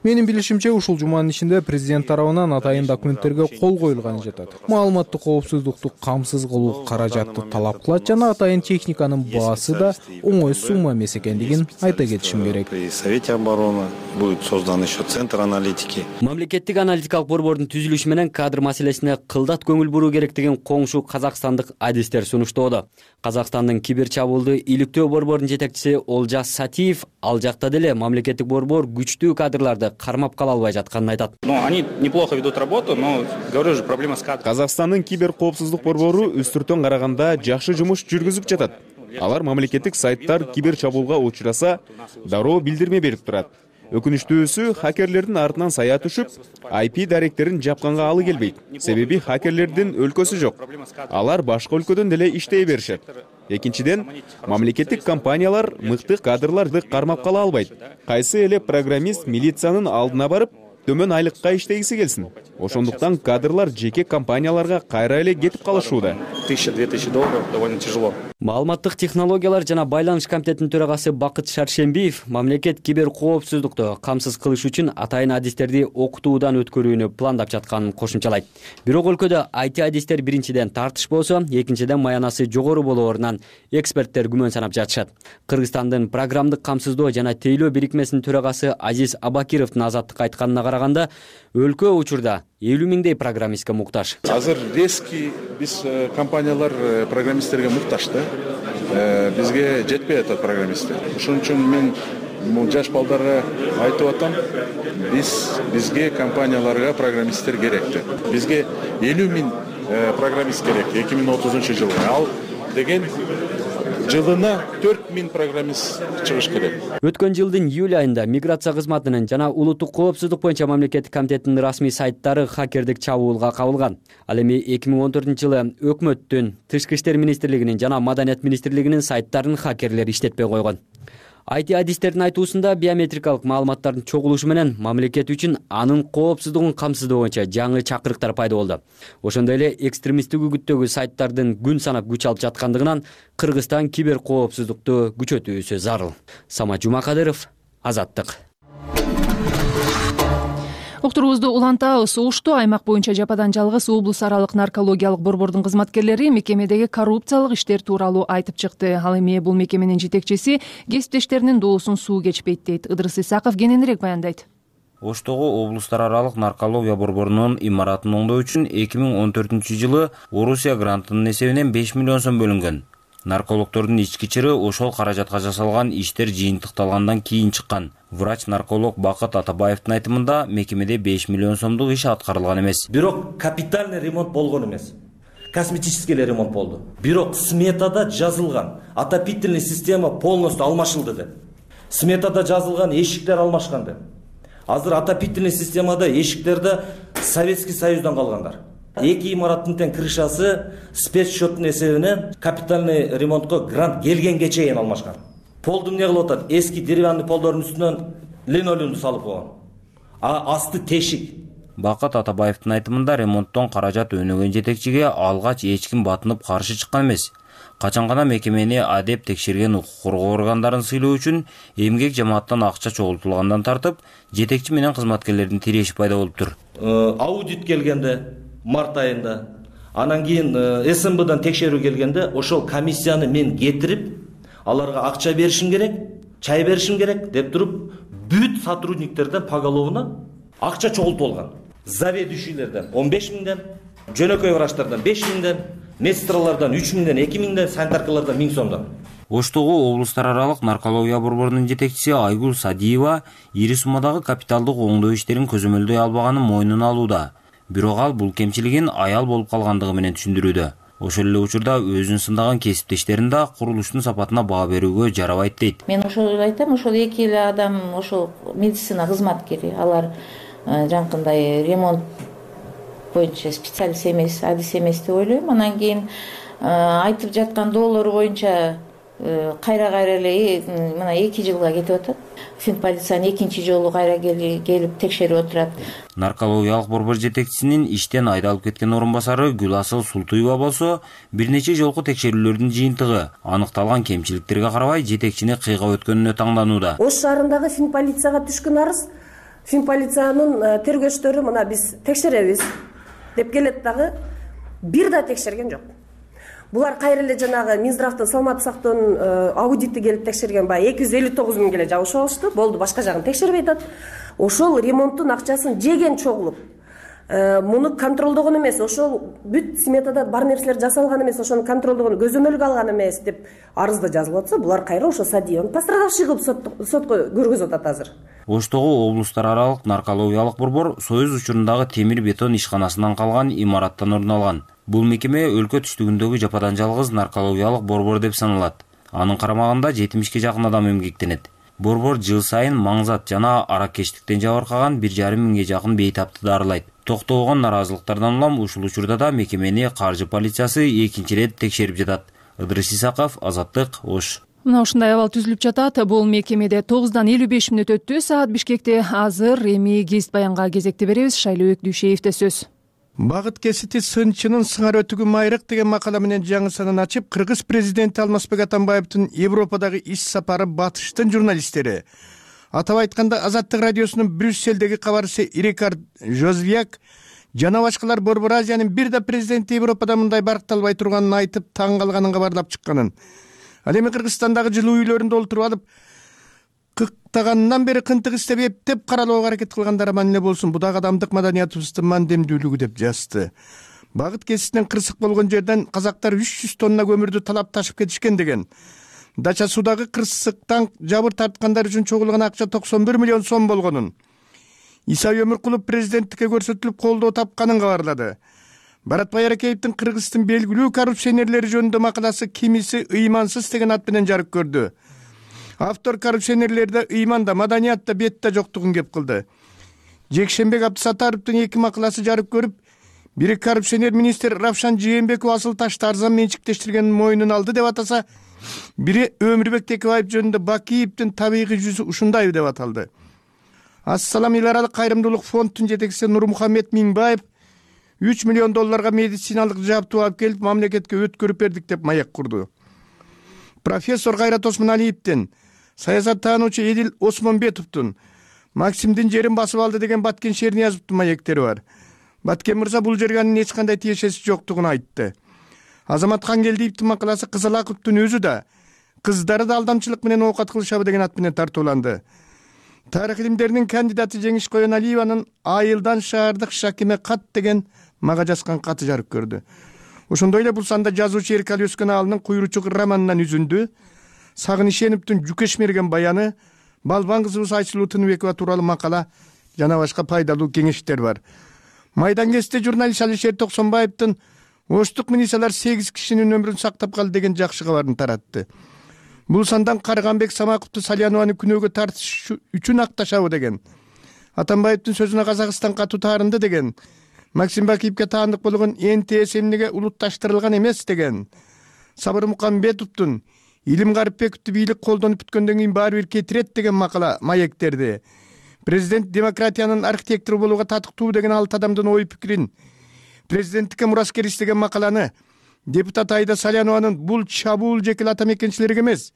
Менин билишимче, ушул жуманын ичинде президент тарабынан атайын документтерге кол коюлганы жатат. Маалыматтык коопсуздукту камсыз кылуу каражатты талап кылат жана атайын техниканын баасы да оңой сумма эмес экендигин айта кетишим керек. При Совете обороны будет создан еще центр аналитики. Мамлекеттик аналитикалык борбордун түзүлүшү менен кадр маселесине кылдат көңүл буруу керектигин коңшу казакстандык адистер сунуштоодо. Казакстандын кибер чабуулду иликтөө борборунун жетекчиси Олжас Сатиев ал жакта деле мамлекеттик борбор күчтүү кадрларды кармап кала албай жатканын айтат. Они неплохо ведут работу, но говорю же, проблема с кадрами. Казакстандын кибер коопсуздук борбору үстүртөн караганда жакшы жумуш жүргүзүп жатат. Алар мамлекеттик сайттар кибер чабуулга учураса дароо билдирме берип турат. Өкүнүчтүүсү, хакерлердин артынан сая түшүп, IP даректерин жапканга алы келбейт. Себеби хакерлердин өлкөсү жок. Алар башка өлкөдөн деле иштей беришет. Экинчиден, мамлекеттик компаниялар мыкты кадрларды кармап кала албайт. Кайсы эле программист милициянын алдына барып, төмөн айлыкка иштегиси келсин. Ошондуктан кадрлар жеке компанияларга кайра эле кетип калышууда. $1000-2000 довольно тяжело. Маалыматтык технологиялар жана байланыш комитетинин төрагасы Бакыт Шаршембиев мамлекет кибер коопсуздукту камсыз кылыш үчүн атайын адистерди окутуудан өткөрүүнү пландап жатканын кошумчалайт. Бирок өлкөдө IT адистер биринчиден тартыш болсо, экинчиден маянасы жогору болоорунан эксперттер күмөн санап жатышат. Кыргызстандын программдык камсыздоо жана тейлөө бирикмесинин төрагасы Азиз Абакировдун Азаттыкка айтканына караганда, өлкө учурда 50 миңдей программистке муктаж. Азыр резкий биз компаниялар программисттерге муктаж да. Бизге жетпей атат программисттер. Ошон үчүн мен жаш балдарга айтып атам, бизге компанияларга программисттер керек деп. Бизге 50 миң программист керек 2030-жылга. Ал деген жылына 4000 программист чыгыш керек. Өткөн жылдын июль айында миграция кызматынын жана улуттук коопсуздук боюнча мамлекеттик комитеттин расмий сайттары хакердик чабуулга кабылган. Ал эми 2014-жылы өкмөттүн, Тышкы иштер министрлигинин жана Маданият министрлигинин сайттарын хакерлер иштетпей койгон. IT адистердин айтуусунда биометрикалык маалыматтардын чогулушу менен мамлекет үчүн анын коопсуздугун камсыздоо боюнча жаңы чакырыктар пайда болду. Ошондой эле экстремисттик үгүттөгү сайттардын күн санап күч алып жаткандыгынан Кыргызстан кибер коопсуздукту күчөтүүсү зарыл. Самат Жумакадыров, Азаттык. Уктуруубузду улантабыз. Ошту аймак боюнча жападан жалгыз облус аралык наркологиялык борбордун кызматкерлери мекемедеги коррупциялык иштер тууралуу айтып чыкты. Ал эми бул мекеменин жетекчиси кесиптештеринин доосун суу кечпейт дейт. Ыдырыс Исаков кененирээк баяндайт. Оштогу облустар аралык наркология борборунун имаратын оңдоо үчүн 2014-жылы Орусия грантынын эсебинен 5 миллион сом бөлүнгөн. Наркологдордун ички чыры ошол каражатка жасалган иштер жыйынтыкталгандан кийин чыккан. Врач-нарколог Бакыт Атабаевдин айтымында мекемеде 5 миллион сомдук иш аткарылган эмес. Бирок капитальный ремонт болгон эмес. Косметический ремонт болду. Бирок сметада жазылган отопительный система полностью алмашылды деп. Сметада жазылган эшиктер алмашкан деп. Азыр отопительный системада эшиктерде Советский Союздан калгандар. Эки имараттын тең крышасы спецсчеттун эсебинен капитальный ремонтко грант келгенге чейин алмашкан. Полду эмне кылып атат? Эски деревянный полдордун үстүнөн линолеумду салып койгон. Асты тешик. Бакыт Атабаевдин айтымында ремонттон каражат өнөгөн жетекчиге алгач эч ким батынып каршы чыккан эмес. Качан гана мекемени адеп текшерген укук коргоо органдарын сыйлоо үчүн эмгек жамааттан акча чогултулгандан тартып, жетекчи менен кызматкерлердин тиреши пайда болуптур. Аудит келгенде март айында, анан кийин СМБдан текшерүү келгенде, ошол комиссияны мен кетирип, аларга акча беришим керек, чай беришим керек деп туруп, бүт сотрудниктерден поголовно акча чогултуп алган. Заведующийлерден 15 миңден, жөнөкөй врачтардан 5 миңден, медсестралардан 3 миңден, 2 миңден, санитаркалардан 1000 сомдон. Оштогу облустар аралык наркология борборунун жетекчиси Айгул Садиева ири суммадагы капиталдык оңдоо иштерин көзөмөлдөй албаганын мойнуна алууда. Бирок ал бул кемчилигин аял болуп калгандыгы менен түшүндүрүүдө. Ошол эле учурда өзүн сындаган кесиптештерин да курулуштун сапатына баа берүүгө жарабайт дейт. Мен ошол айтам, ошол эки эле адам ошол медицина кызматкери, алар жанакындай ремонт боюнча специалист эмес, адис эмес деп ойлойм. Анан кийин айтып жаткан доолор боюнча кайра эле мына 2 жылга кетип атат. Финполициянын экинчи жолу кайра келип текшерип отурат. Наркологиялык борбор жетекчисинин иштен айдалып кеткен орун басары Гүласыл Султуева болсо, бир нече жолку текшерүүлөрдүн жыйынтыгы аныкталган кемчиликтерге карабай жетекчини кыйгап өткөнүнө таңданууда. Ош шаарындагы Финполицияга түшкөн арыз, Финполициянын тергөөчтөрү мына биз текшеребиз деп келет дагы бир да текшерген жок. Булар кайра эле жанагы Минздравдын саламаттык сактоонун аудити келип текшерген баягы 259 миң эле жабышып алышты. Болду, башка жагын текшербей атат. Ошол ремонттун акчасын жеген чогулуп, муну контролдогон эмес, ошол бүт сметада бар нерселер жасалган эмес, ошону контролдогон, көзөмөлгө алган эмес деп арызда жазылып атса, булар кайра ошо стадион пострадавший кылып сотко көргөзүп атат азыр. Оштогу облустар аралык наркологиялык борбор Союз учурундагы темир бетон ишканасынан калган имараттан орун алган. Бул мекеме өлкө түштүгүндөгү жападан жалгыз наркологиялык борбор деп саналат. Анын карамагында 70-ке жакын адам эмгектенет. Борбор жыл сайын маңзат жана аракечтиктен жабыркаган 1,5 миңге жакын бейтапты дарылайт. Токтогон наразылыктардан улам ушул учурда да мекемени каржы полициясы экинчи ирет текшерип жатат. Ыдырыс Исаков, Азаттык, Ош. Мына ушундай абал түзүлүп жатат. Бул мекемеде 9-дан 55 мүнөт өттү. Саат Бишкекте азыр эми гезит баянга кезекти беребиз. Шайлообек Дүйшеевде сөз. Багыт кесити сынчынын сыңар өтүгү майрык деген макала менен жаңы санын ачып, Кыргыз президенти Алмазбек Атамбаевдин Европадагы иш сапары батыштын журналисттери. Атап айтканда, Азаттык радиосунун Брюсселдеги кабарчысы Рикард Жозвяк жана башкалар Борбор Азиянын бир да президенти Европада мындай баркталбай турганын айтып, таң калганын кабарлап чыкканын. Ал эми Кыргызстандагы жылуу үйлөрүндө олтуруп алып, кыктагандан бери кынтык иштеп эптеп каралоого аракет кылгандар аман эле болсун. Бу дагы адамдык маданиятыбыздын мандемдүүлүгү деп жазды. Багыт кеситинен кырсык болгон жерден казактар 300 тонна көмүрдү талап ташып кетишкен деген. Дача суудагы кырсыктан жабыр тарткандар үчүн чогулган акча 91 миллион сом болгонун. Иса Өмүркулов президенттикке көрсөтүлүп колдоо тапканын кабарлады. Баратбай Аракеевдин Кыргыздын белгилүү коррупционерлери жөнүндө макаласы кимиси ыймансыз деген ат менен жарык көрдү. Автор коррупционерлерде ыйманда, маданиятта, бетте жоктугун кеп кылды. Жекшенбек Абдысаттаровдун 2 макаласы жарык көрүп, бири коррупционер министр Равшан Жээнбеков асыл ташты арзан менчиктештиргенин мойнуна алды деп атаса, бири Өмүрбек Текебаев жөнүндө Бакиевдин табигый жүзү ушундай деп аталды. Ассалам эл аралык кайрымдуулук фондунун жетекчиси Нурмухаммед Миңбаев 3 миллион долларга медициналык жабдуу алып келип, мамлекетке өткөрүп бердик деп маек курду. Профессор Кайрат Осмоналиевдин, саясаттануучу Эдил Осмонбетовдун Максимдин жерин басып алды деген Баткен Шерниязовдун маектери бар. Баткен мырза бул жерге анын эч кандай тиешеси жоктугун айтты. Азамат Хангелдиевдин макаласы Кызылаковдун өзү да, кыздары да алдамчылык менен оокат кылышабы деген ат менен тартууланды. Тарых илимдеринин кандидаты Жеңиш Коеналиеванын Айылдан шаардык Шакиме кат деген мага жазган каты жарык көрдү. Ошондой эле бул санда жазуучу Эркали Өскөн Аалынын Куйручук романынан үзүндү, Сагынышеновдун Жүкеш мерген баяны, Балбан кызыбыз Айсулуу Тыныбекова тууралуу макала жана башка пайдалуу кеңештер бар. Майдан кезинде журналист Алишер Токсонбаевдин Оштук милициялар 8 кишинин өмүрүн сактап калды деген жакшы кабарын таратты. Бул сандан Карганбек Самаковду Салянованы күнөөгө тартыш үчүн акташабы деген. Атамбаевдин сөзүнө Казакстан катуу таарынды деген. Максим Бакиевге таандык болгон НТС эмнеге улутташтырылган эмес деген. Сабыр Мукамбетовдун Илим Гарипбековду бийлик колдонуп бүткөндөн кийин баары бир кетирет деген макала маектерди. Президент демократиянын архитектору болууга татыктуу деген 6 адамдын ой пикирин, президенттикке мураскер иштеген макаланы депутат Айда Салянованын бул чабуул жекел ата мекенчилерге эмес,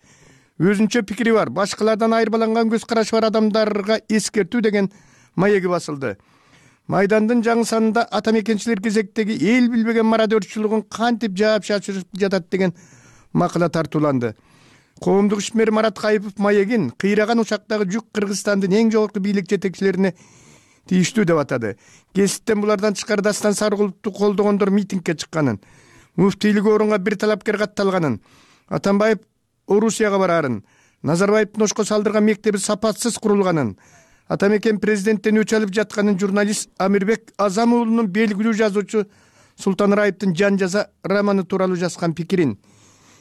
өзүнчө пикири бар, башкалардан айырбаланган көз карашы бар адамдарга эскертүү деген маеги басылды. Майдандын жаңы санында ата мекенчилер кезектеги эл билбеген мародерчилигин кантип жаап чачырып жатат деген макала тартууланды. Коомдук ишмер Марат Кайыпов маегин кыйраган учактагы жүк Кыргызстандын эң жогорку бийлик жетекчилерине тийиштүү деп атады. Кесиптен булардан тышкары Дастан Сарыгуловду колдогондор митингге чыкканын, муфтийлик орунга бир талапкер катталганын, Атамбаев Орусияга барарын, Назарбаевдин Ошко салдырган мектеби сапатсыз курулганын, ата мекен президенттен өч алып жатканын журналист Амирбек Азам уулунун белгилүү жазуучу Султан Раевдин Жан жаза романы тууралуу жазган пикирин,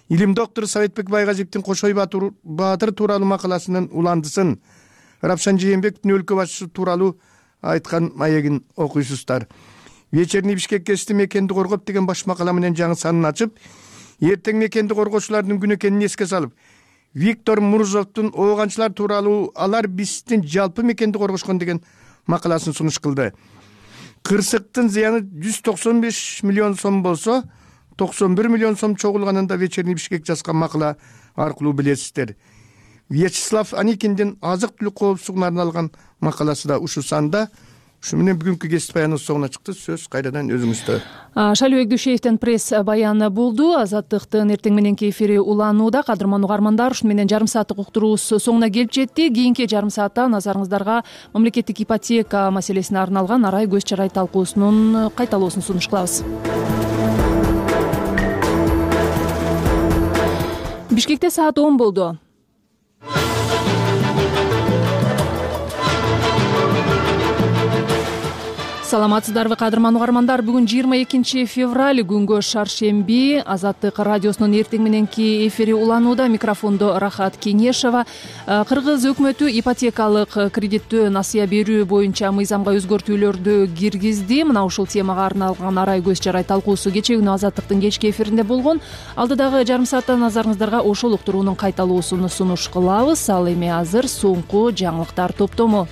илим доктору Советбек Байгазиевдин Кошой Баатыр тууралуу макаласынын уландысын, Равшан Жээнбековдун өлкө башчысы тууралуу айткан маегин окуйсуздар. Вечерний Бишкек кести мекенди коргоп деген баш макала менен жаңы санын ачып, эртең мекенди коргоочулардын күнү экенин эске салып, Виктор Мурзовдун ооганчылар тууралуу алар биздин жалпы мекенди коргошкон деген макаласын сунуш кылды. Кырсыктын зыяны 195 миллион сом болсо, 91 миллион сом чогулганында Вечерний Бишкек жазган макала аркылуу билесиздер. Вячеслав Аникиндин азык-түлүк коопсуздугуна арналган макаласы да ушу санда. Ушу менен бүгүнкү кесип баяныбыз соңуна чыкты. Сөз кайрадан өзүңүздө. Шалыбек Дүйшеевдин пресс баяны болду. Азаттыктын эртең мененки эфири уланууда. Кадырман угармандар, ушуну менен жарым сааттык уктуруубуз соңуна келип жетти. Кийинки жарым саатта назарыңыздарга мамлекеттик ипотека маселесине арналган арай көз чарай талкуусунун кайталоосун сунуш кылабыз. Бишкекте саат 10 болду. Саламатсыздарбы, кадырман угармандар? Бүгүн 22 февраль, күнгө шаршемби. Азаттык радиосунун эртең мененки эфири уланууда. Микрофондо Рахат Кеңешова. Кыргыз өкмөтү ипотекалык кредиттөө насыя берүү боюнча мыйзамга өзгөртүүлөрдү киргизди. Мына ушул темага арналган арай көз чарай талкуусу кечээ күнү Азаттыктын кечки эфиринде болгон. Алдыдагы жарым саатта назарыңыздарга ошол уктуруунун кайталоосун сунуш кылабыз. Ал эми азыр соңку жаңылыктар топтому.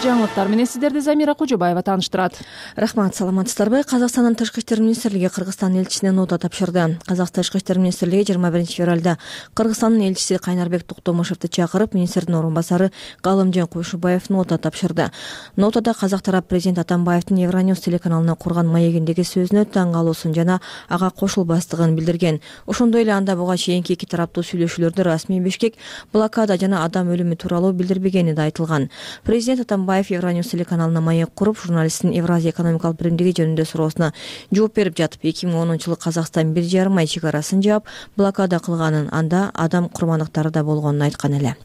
Жаңылыктар менен сиздерди Замира Кожобаева тааныштырат. Рахмат, саламатсыздарбы? Казакстандын Тышкы иштер министрлиги Кыргызстан элчисине нота тапшырды. Казакстан Тышкы иштер министрлиги 21 февралда Кыргызстандын элчиси Кайнарбек Токтомушевди чакырып, министрдин орун басары Галымжан Куйшубаев нота тапшырды. Нотада казак тарап президент Атамбаевдин Евроньюс телеканалына курган маегиндеги сөзүнө таң калуусун жана ага кошулбастыгын билдирген. Ошондой эле анда буга чейинки эки тараптуу сүйлөшүүлөрдө расмий Бишкек блокада жана адам өлүмү тууралуу билдирбегени да айтылган. Президент Атамбаев Евроньюс телеканалына маек куруп, журналисттин Евразия экономикалык биримдиги жөнүндө суроосуна жооп берип жатып, 2010-жылы Казакстан 1,5 ай чек арасын жаап, блокада кылганын, анда адам курмандыктары да болгонун айткан эле.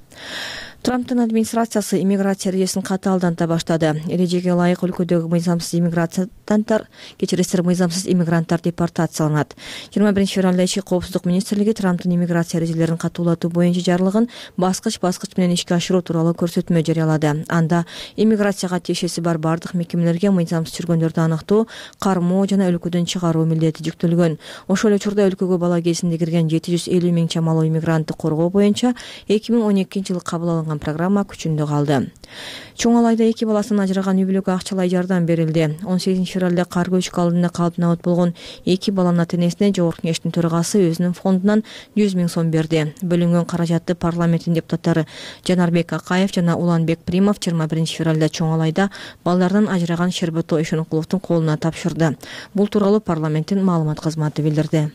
Трамптын администрациясы иммиграция эрежесин катаалданта баштады. Эрежеге ылайык өлкөдөгү мыйзамсыз мыйзамсыз иммигранттар депортацияланат. 21 февралда ички коопсуздук министрлиги Трамптын иммиграция эрежелерин катуулатуу боюнча жарлыгын баскыч менен ишке ашыруу тууралуу көрсөтмө жарыялады. Анда иммиграцияга тиешеси бар бардык мекемелерге мыйзамсыз жүргөндөрдү аныктоо, кармоо жана өлкөдөн чыгаруу милдети жүктөлгөн. Ошол эле учурда өлкөгө бала кезинде кирген 750 миң чамалуу иммигрантты коргоо боюнча 2012-жылы кабыл алынган программа күчүндө калды. Чоң Алайда 2 баласынан ажыраган үй бүлөгкө акчалай жардам берилди. 18 февралда кар көчкү алдында калып набат болгон 2 баланын ата-энесине Жогорку Кеңештин төрагасы өзүнүн фондунан 100 миң сом берди. Бөлүнгөн каражатты парламенттин депутаттары Жанарбек Акаев жана Уланбек Примов 21 февралда Чоң Алайда балдарынан ажыраган Шербето Ишенкуловдун колуна тапшырды. Бул тууралуу парламенттин маалымат кызматы билдирди.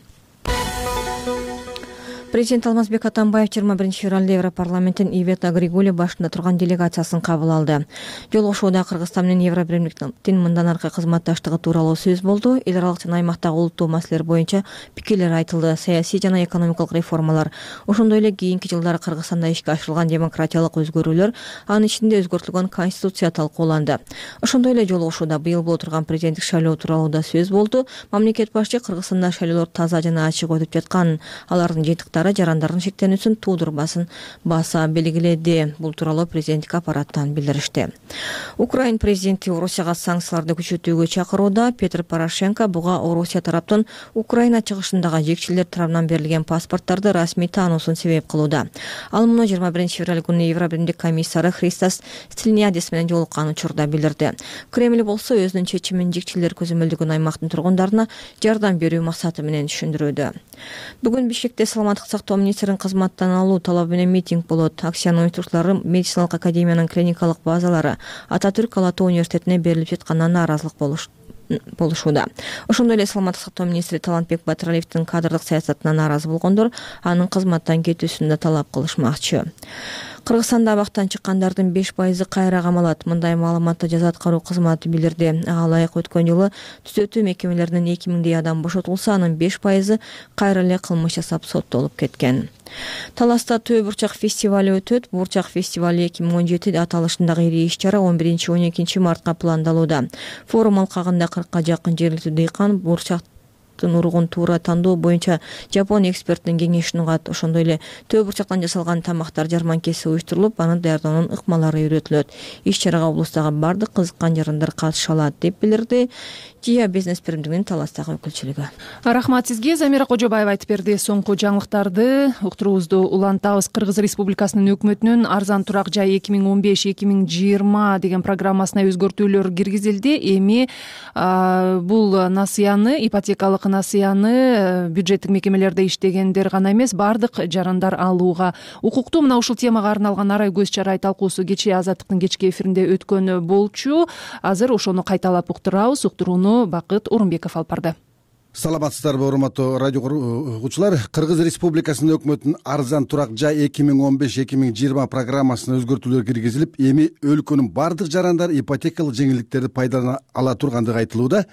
Президент Алмазбек Атамбаев 21 февралда Европарламенттин Ивета Григули башында турган делегациясын кабыл алды. Жолугушууда Кыргызстан менен Евробиримдиктин мындан аркы кызматташтыгы тууралуу сөз болду. Эл аралык жана аймактагы улуттуу маселелер боюнча пикирлер айтылды. Саясий жана экономикалык реформалар, ошондой эле кийинки жылдары Кыргызстанда ишке ашырылган демократиялык өзгөрүүлөр, анын ичинде өзгөртүлгөн конституция талкууланды. Ошондой эле жолугушууда быйыл боло турган президенттик шайлоо тууралуу да сөз болду. Мамлекет башчы Кыргызстанда шайлоолор таза жана ачык өтүп жатканын, алардын жыйынтыктары жарандардын шектенүүсүн туудурбасын баса белгиледи. Бул тууралуу президенттик аппараттан билдиришти. Украин президенти Орусияга санкцияларды күчөтүүгө чакырууда. Петр Порошенко буга Орусия тараптын Украина чыгышындагы жекчилер тарабынан берилген паспорттарды расмий таануусун себеп кылууда. Ал муну 21 февраль күнү Евробиримдик комиссары Христос Стилианидис менен жолуккан учурда билдирди. Кремль болсо өзүнүн чечимин жекчилер көзөмөлдөгөн аймактын тургундарына жардам берүү максаты менен түшүндүрүүдө. Бүгүн Бишкекте саламаттык сактоо министрин кызматтан алуу талабы менен митинг болот. Акциянын уюштуруучулары медициналык академиянын клиникалык базалары Ататүрк Ала Тоо университетине берилип жатканына нааразылык болушууда. Ошондой эле саламаттык сактоо министри Талантбек Батыралиевдин кадрдык саясатына нааразы болгондор анын кызматтан кетүүсүн да талап кылышмакчы. Кыргызстанда абактан чыккандардын 5% кайра камалат. Мындай маалыматты жаза аткаруу кызматы билдирди. Ага ылайык өткөн жылы түзөтүү мекемелеринен 2000 адам бошотулса, анын 5% кайра эле кылмыш жасап соттолуп кеткен. Таласта Төө бурчак фестивали өтөт. Бурчак фестивали 2017 аталышындагы ири иш-чара 11-12 мартка пландалууда. Форум алкагында 40-ка жакын жергиликтүү дыйкан бурчак уругун туура тандоо боюнча Жапон эксперттин кеңешин угат. Ошондой эле Төө бурчактан жасалган тамактар жарманкеси уюштурулуп, аны даярдөөнүн ыкмалары үйрөтүлөт. Иш-чарага облустагы бардык кызыккан жарандар катыша алат деп билдирди. Жия бизнес биримдигинин Таластагы өкүлчүлүгү. Рахмат сизге. Замира Кожобаева айтып берди. Соңку жаңылыктарды уктуруубузду улантабыз. Кыргыз Республикасынын өкмөтүнүн арзан турак жай 2015-2020 деген программасына өзгөртүүлөр киргизилди. Эми бул насыяны, ипотекалык насыяны бюджеттик мекемелерде иштегендер гана эмес, бардык жарандар алууга укуктуу. Мына ушул темага арналган арай көз чарай талкуусу кечээ Азаттыктын кечки эфиринде өткөн болчу. Азыр ошону кайталап уктурабыз. Уктурууну Бакыт Орунбеков алып барды. Саламатсыздарбы, урматтуу радио угуучулар. Кыргыз Республикасынын өкмөтүнүн арзан турак жай 2015-2020 программасына өзгөртүүлөр киргизилип, эми өлкөнүн бардык жарандар ипотекалык жеңилдиктерди пайдалана ала тургандыгы айтылууда.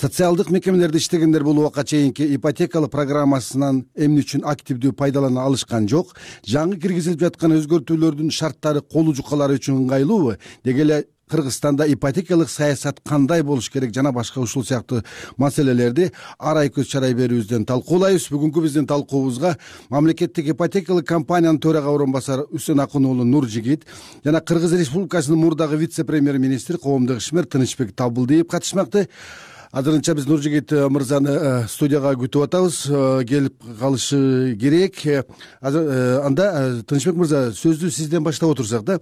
Социалдык мекемелерде иштегендер бул убакка чейинки ипотекалык программасынан эмне үчүн активдүү пайдалана алышкан жок? Жаңы киргизилип жаткан өзгөртүүлөрдүн шарттары колу жукалары үчүн ыңгайлуубу? Деги эле Кыргызстанда ипотекалык саясат кандай болуш керек жана башка ушул сыяктуу маселелерди арай көз чарай берүүбүздөн талкуулайбыз. Бүгүнкү биздин талкуубузга мамлекеттик ипотекалык компаниянын төрага орун басары Үсөн Акын уулу Нуржигит жана Кыргыз Республикасынын мурдагы вице-премьер-министри коомдук ишмер Тынычбек Табылдиев катышмакты. Азырынча биз Нуржигит мырзаны студияга күтүп атабыз, келип калышы керек. Анда Тынычбек мырза, сөздү сизден баштап отурсак да.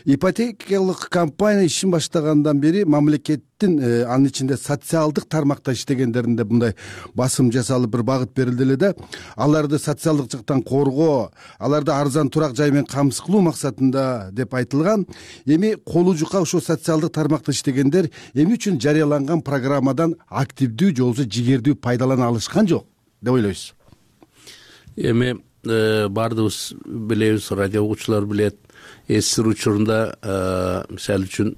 Ипотекалык компания ишин баштагандан бери мамлекеттин анын ичинде социалдык тармакта иштегендеринде мындай басым жасалып бир багыт берилди эле да. Аларды социалдык жактан коргоо, аларды арзан турак жай менен камсыз кылуу максатында деп айтылган. Эми колу жука ошо социалдык тармакта иштегендер эмне үчүн жарыяланган программадан активдүү же болбосо жигердүү пайдалана алышкан жок деп ойлойсуз? Эми баардыгыбыз билебиз, радио угуучулар билет. СССР учурунда мисалы үчүн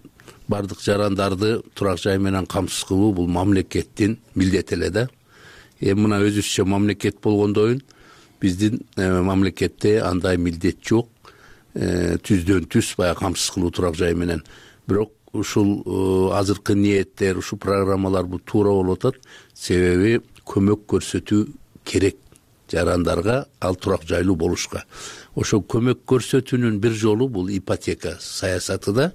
бардык жарандарды турак жай менен камсыз кылуу бул мамлекеттин милдети эле да. Эми мына өзүбүзчө мамлекет болгондойун биздин мамлекетте андай милдет жок. Түздөн түз баягы камсыз кылуу турак жай менен. Бирок ушул азыркы ниеттер, ушул программалар бул туура болуп атат. Себеби көмөк көрсөтүү керек жарандарга ал турак жайлуу болушка. Ошо көмөк көрсөтүүнүн бир жолу бул ипотека саясаты да.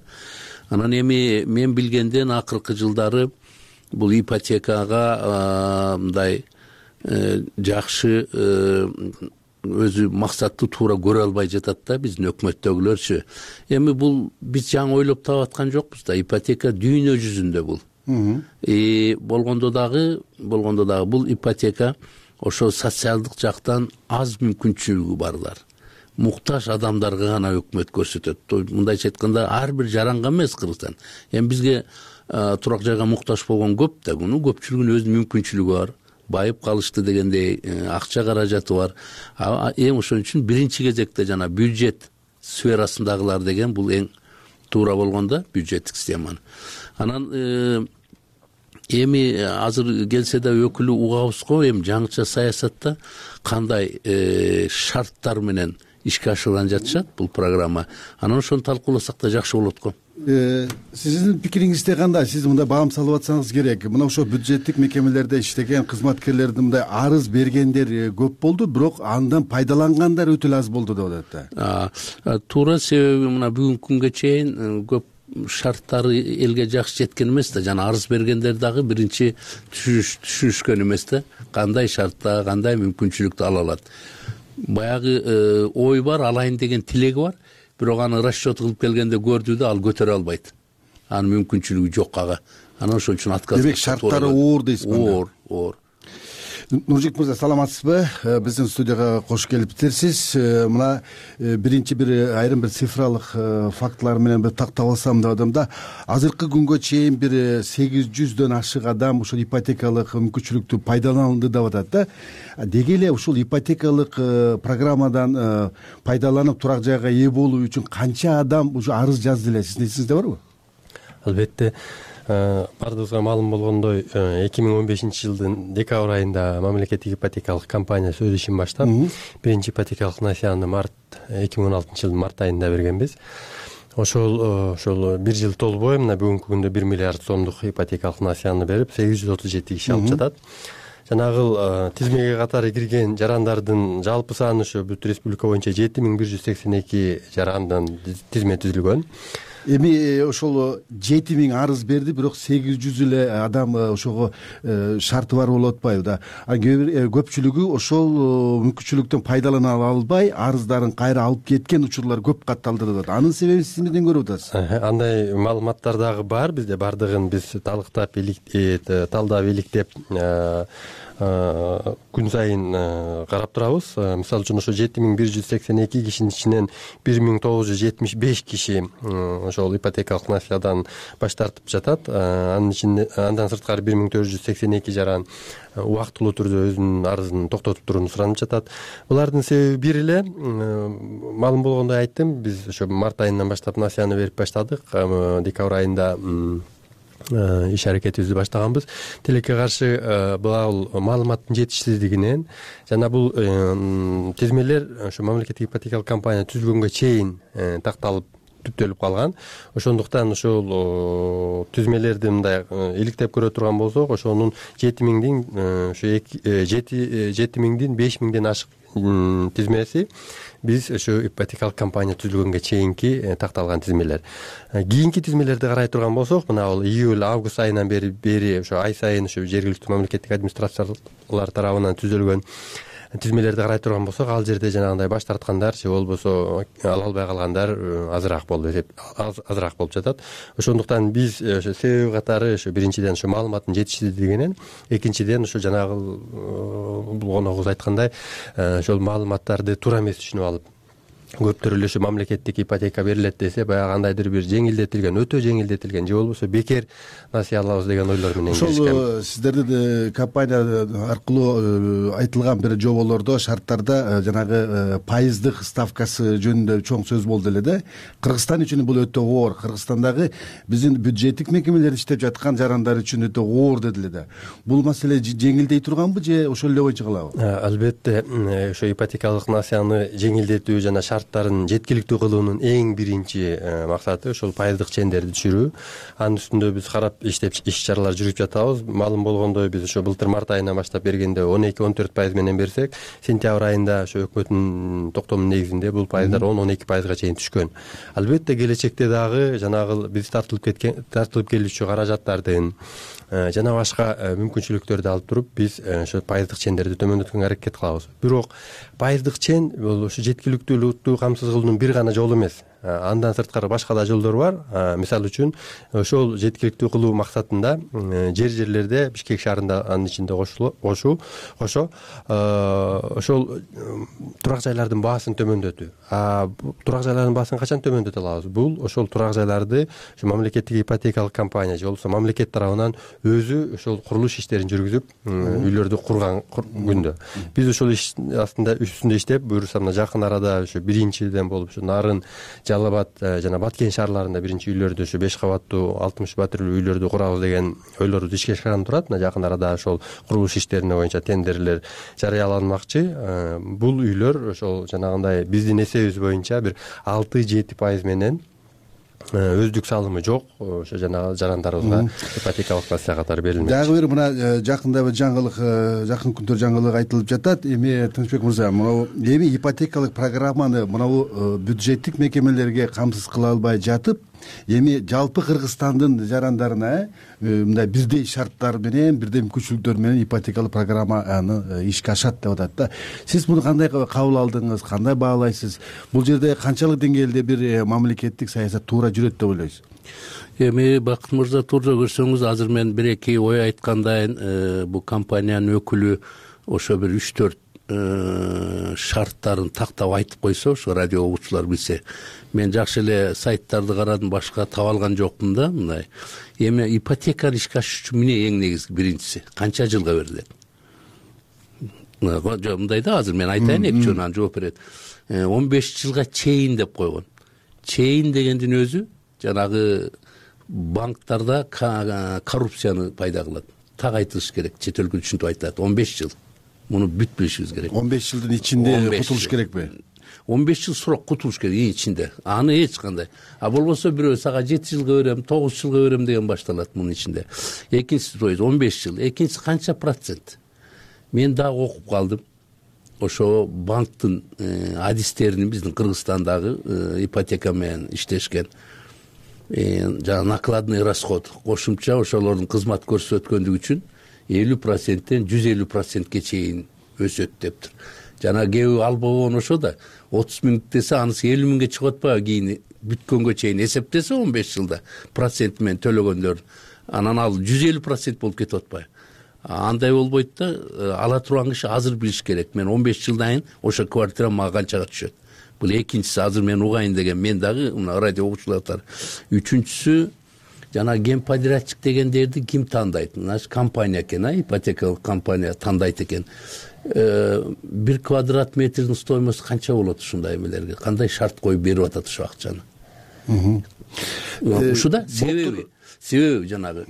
Анан эми мен билгенден акыркы жылдары бул ипотекага мындай жакшы өзү максатты туура көрө албай жатат да биздин өкмөттөгүлөрчү. Эми бул биз жаңы ойлоп таап аткан жокпуз да. Ипотека дүйнө жүзүндө бул. Болгондо дагы бул ипотека ошо социалдык жактан аз мүмкүнчүлүгү барлар, муктаж адамдарга гана өкмөт көрсөтөт. Мындайча айтканда ар бир жаранга эмес Кыргызстан. Эми бизге турак жайга муктаж болгон көп да, муну көпчүлүгүнүн өзүнүн мүмкүнчүлүгү бар. Байып калышты дегендей акча каражаты бар. Эми ошон үчүн биринчи кезекте жана бюджет сферасындагылар деген бул эң туура болгондо бюджеттик системаны. Анан эми азыр келсе да өкүлү угабыз го, эми жаңыча саясатта кандай шарттар менен ишке ашырылган жатышат бул программа. Анан ошону талкууласак да жакшы болот го. Сиздин пикириңизде кандай? Сиз мындай баам салып атсаңыз керек. Мына ошо бюджеттик мекемелерде иштеген кызматкерлердин мындай арыз бергендер көп болду, бирок андан пайдалангандар өтө аз болду деп атат. Туура, себеби мына бүгүнкү күнгө чейин көп шарттары элге жакшы жеткен эмес да, жана арыз бергендер дагы биринчи түшүнүшкөн эмес да, кандай шартта, кандай мүмкүнчүлүктү ала алат. Баягы ой бар, алайын деген тилеги бар, бирок аны расчет кылып келгенде көрдү да, ал көтөрө албайт. Анын мүмкүнчүлүгү жок ага. Анан ошон үчүн отказ. Демек шарттары оор дейсиз. Оор. Нуржигит мырза, саламатсызбы? Биздин студияга кош келипсиз. Мына биринчи бир айрым бир цифралык фактылар менен бир тактап алсам деп атам да. Азыркы күнгө чейин бир 800дөн ашык адам ушул ипотекалык мүмкүнчүлүктү пайдаланды деп атат да. Деги эле ушул ипотекалык программадан пайдаланып турак жайга ээ болуу үчүн канча адам ушу арыз жазды эле? Сиздин эсиңизде барбы? Албетте. Бардыгыбызга маалым болгондой 2015 жылдын декабрь айында мамлекеттик ипотекалык компания өз ишин баштап, биринчи ипотекалык насыяны 2016 жылдын март айында бергенбиз. Ошол бир жыл толбой мына бүгүнкү күндө 1 миллиард сомдук ипотекалык насыяны берип, 837 киши алып жатат. Жанагы тизмеге катары кирген жарандардын жалпы саны ошо бүт республика боюнча 7182 жарандан тизме түзүлгөн. Эми ошол 7000 арыз берди, бирок 800 эле адам ошого шарты бар болуп атпайбы да. Көпчүлүгү ошол мүмкүнчүлүктөн пайдалана албай арыздарын кайра алып кеткен учурлар көп катталды деп атат. Анын себебин сиз эмнеден көрүп атасыз? Андай маалыматтар дагы бар бизде, бардыгын биз талдап иликтеп күн сайын карап турабыз. Мисалы үчүн ошо 7182 кишинин ичинен 1975 киши ошол ипотекалык насыядан баш тартып жатат. Андан сырткары 1482 жаран убактылуу түрдө өзүнүн арызын токтотуп турууну суранып жатат. Булардын себеби бир эле, маалым болгондой айттым, биз ошо март айынан баштап насыяны берип баштадык. Декабрь айында иш аракетибизди баштаганбыз. Тилекке каршы бул маалыматтын жетишсиздигинен жана бул тизмелер ошо мамлекеттик ипотекалык компания түзүлгөнгө чейин такталып түптөлүп калган. Ошондуктан ошол түзмелерди мындай иликтеп көрө турган болсок, ошонун 7000дин 5000ден ашык тизмеси биз ошо ипотекалык компания түзүлгөнгө чейинки такталган тизмелер. Кийинки тизмелерди карай турган болсок, мына бул июль август айынан бери ошо ай сайын ошо жергиликтүү мамлекеттик администрациялар тарабынан түзүлгөн тизмелерди карай турган болсок, ал жерде жанагындай баш тарткандар же болбосо ала албай калгандар азыраак болуп жатат. Ошондуктан биз ошо себеби катары ошо биринчиден ошо маалыматтын жетишсиздигинен, экинчиден ошо жанагы коногубуз айткандай ошол маалыматтарды туура эмес түшүнүп алып, көптөр эле ошо мамлекеттик ипотека берилет десе, баягы кандайдыр бир жеңилдетилген, өтө жеңилдетилген же болбосо бекер насыя алабыз деген ойлор менен киришкен. Ошол сиздердин компания аркылуу айтылган бир жоболордо, шарттарда жанагы пайыздык ставкасы жөнүндө чоң сөз болду эле да. Кыргызстан үчүн бул өтө оор. Кыргызстандагы биздин бюджеттик мекемелер иштеп жаткан жарандар үчүн өтө оор деди эле да. Бул маселе жеңилдей турганбы же ошол эле боюнча калабы? Албетте, ошо ипотекалык насыяны жеңилдетүү жана шарттарын жеткиликтүү кылуунун эң биринчи максаты ошол пайыздык чендерди түшүрүү. Анын үстүндө биз карап иштеп иш-чаралар жүргүзүп жатабыз. Маалым болгондой, биз ошо былтыр март айынан баштап бергенде 12-14% менен берсек, сентябрь айында ошо өкмөттүн токтомунун негизинде бул пайыздар 10-12%га чейин түшкөн. Албетте келечекте дагы жанагы биз тартылып келүүчү каражаттардын жана башка мүмкүнчүлүктөрдү алып туруп биз ошо пайыздык чендерди төмөндөткөнгө аракет кылабыз. Бирок пайыздык чен бул ошо жеткиликтүүлүктү камсыз кылуунун бир гана жолу эмес. Андан сырткары башка да жолдор бар. Мисалы үчүн ошол жеткиликтүү кылуу максатында жерлерде Бишкек шаарында анын ичинде кошо ошол турак жайлардын баасын төмөндөтүү. Турак жайлардын баасын качан төмөндөтө алабыз? Бул ошол турак жайларды ошо мамлекеттик ипотекалык компания же болбосо мамлекет тарабынан өзү ошол курулуш иштерин жүргүзүп, үйлөрдү курган күндө. Биз ошол иш үстүндө иштеп, буюрса мына жакын арада ошо биринчиден болуп ошо Нарын, Жалал Абад жана Баткен шаарларында биринчи үйлөрдү ошо 5 кабаттуу 60 батирлүү үйлөрдү курабыз деген ойлорубуз ишке ашкан турат. Мына жакын арада ошол курулуш иштерине боюнча тендерлер жарыяланмакчы. Бул үйлөр ошол жанагындай биздин эсебибиз боюнча бир 6-7% менен өздүк салымы жок ошо жанагы жарандарыбызга ипотекалык насыя катары берилмек. Дагы бир мына жакында бир жаңылык, жакын күндө жаңылык айтылып жатат. Эми Тынычбек мырза, эми ипотекалык программаны бюджеттик мекемелерге камсыз кыла албай жатып, эми жалпы Кыргызстандын жарандарына мындай бирдей шарттар менен, бирдей мүмкүнчүлүктөр менен ипотекалык программаны ишке ашат деп атат да. Сиз муну кандай кабыл алдыңыз, кандай баалайсыз? Бул жерде канчалык деңгээлде бир мамлекеттик саясат туура жүрөт деп ойлойсуз? Эми Бакыт мырза, туура көрсөңүз, азыр мен бир-эки ой айткандайын, бул компаниянын өкүлү ошо бир 3-4 шарттарын тактап айтып койсо, ошо радио угуучулар билсе. Мен жакшы эле сайттарды карадым, башка таба алган жокмун да. Мындай эми ипотеканы ишке ашыш үчүн эмне эң негизги биринчиси канча жылга берилет? Мындай да, азыр мен айтайын, эки жөн анан жооп берет. 15 жылга чейин деп койгон. Чейин дегендин өзү жанагы банктарда коррупцияны пайда кылат. Так айтылыш керек, чет өлкөдө түшүнүп айтат. 15 жыл. Муну бүт билишибиз керек. 15 жылдын ичинде кутулуш керекпи? 15 жыл сурак кутулуш керек ичинде. Аны эч кандай. Болбосо бирөө сага 7 жылга берем, 9 жылга берем деген башталат мунун ичинде. Экинчиси 15 жыл. Экинчиси канча процент? Мен дагы окуп калдым. Ошо банктын адистерин биздин Кыргызстандагы ипотека менен иштешкен. жана накладный расход кошумча ошолордун кызмат көрсөткөндүгү үчүн 50%тен 150%ке чейин өсөт дептир. Жана кээ албаган ошо да 30 миң десе анысы 50 миңге чыгып атпайбы кийин бүткөнгө чейин эсептесе 15 жылда процент менен төлөгөндөр анан ал 150% болуп кетип атпайбы. Андай болбойт да, ала турган киши азыр билиш керек. Мен 15 жылдан кийин ошо квартира мага канчага түшөт. Бул экинчиси азыр мен угайын деген мен дагы мына радио угуучулар. Үчүнчүсү жана генподрядчик дегендерди ким тандайт? Мына компания экен, ипотекалык компания тандайт экен. 1 квадрат метрдин стоимосу канча болот ушундай эмелерге? Кандай шарт коюп берип атат ошо акчаны? Ушуда себеби жанагы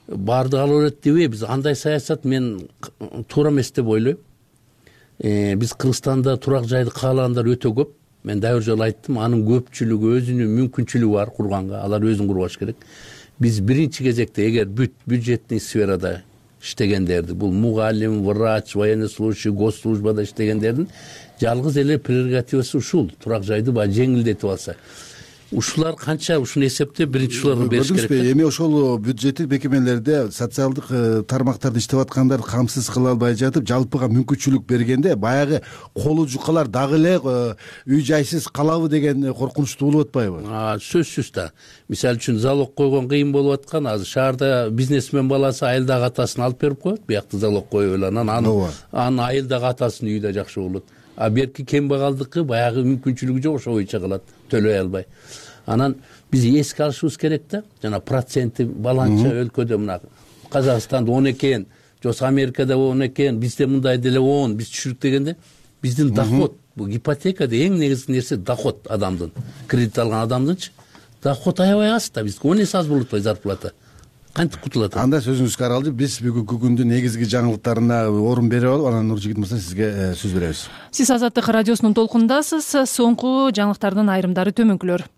баардыгы ала берет дебей, биз андай саясат мен туура эмес деп ойлойм. Биз Кыргызстанда турак жайды каалагандар өтө көп. Мен дагы бир жолу айттым, анын көпчүлүгү өзүнүн мүмкүнчүлүгү бар курганга, алар өзүн курбаш керек. Биз биринчи кезекте эгер бюджетный сферада иштегендерди, бул мугалим, врач, военнослужащий, госслужбада иштегендердин жалгыз эле прерогативасы ушул, турак жайды баягы жеңилдетип алса. Ушулар канча ушуну эсептеп биринчи ушуларга бериш керек. Эми ошол бюджеттик мекемелерде социалдык тармактарда иштеп аткандар камсыз кыла албай жатып, жалпыга мүмкүнчүлүк бергенде баягы колу жукалар дагы эле үй жайсыз калабы деген коркунучтуу болуп атпайбы? Сөзсүз да. Мисалы үчүн залог койгон кыйын болуп аткан. Азыр шаарда бизнесмен баласы айылдагы атасын алып берип коет, биякта залог коюп эле анан анын айылдагы атасынын үйү да жакшы болот. А берки кембагалдыкы баягы мүмкүнчүлүгү жок, ошо боюнча кылат, төлөй албай. Анан биз эске алышыбыз керек да, жана проценти баланча өлкөдө мына Казакстанда 10 экен, жок Америкада 10 экен, бизде мындай деле 10, биз түшүрүк дегенде биздин доход, бул ипотекада эң негизги нерсе доход адамдын, кредит алган адамдынчы доход аябай аз да, бизге 10 эсе аз болуп атпайбы зарплата. Кантип кутулат? Анда сөзүңүзгө аралжып, биз бүгүнкү күндүн негизги жаңылыктарына орун берип алып, анан Нуржигит мырза сизге сөз беребиз. Сиз Азаттык радиосунун толкундасыз. Соңку жаңылыктардын айрымдары төмөнкүлөр.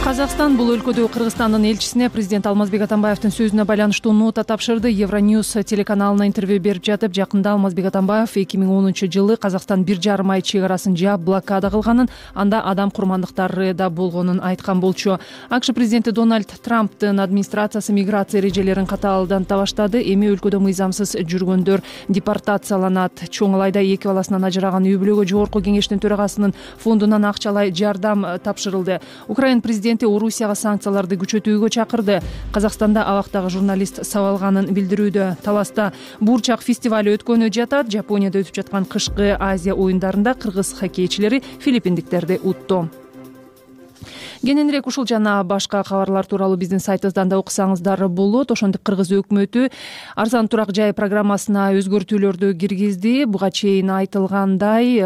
Казакстан бул өлкөдө Кыргызстандын элчисине президент Алмазбек Атамбаевдин сөзүнө байланыштуу нота тапшырды. Евроньюз телеканалына интервью берип жатып, жакында Алмазбек Атамбаев 2010-жылы Казакстан 1,5 ай чек арасын жаап блокада кылганын, анда адам курмандыктары да болгонун айткан болчу. АКШ президенти Дональд Трамптын администрациясы миграция эрежелерин катаалданта баштады. Эми өлкөдө мыйзамсыз жүргөндөр депортацияланат. Чоң Алайда 2 баласынан ажыраган үй бүлөгө жогорку кеңештин төрагасынын фондунан акчалай жардам тапшырылды. Украин президенти Орусияга санкцияларды күчөтүүгө чакырды. Казакстанда абактагы журналист сабалганын билдирүүдө. Таласта Бурчак фестиваль өткөнү жатат. Жапонияда өтүп жаткан кышкы Азия оюндарында кыргыз хоккейчилери филиппиндиктерди утту. Кененирээк ушул жана башка кабарлар тууралуу биздин сайтыбыздан да окусаңыздар болот. Ошондук Кыргыз өкмөтү арзан турак жай программасына өзгөртүүлөрдү киргизди. Буга чейин айтылгандай,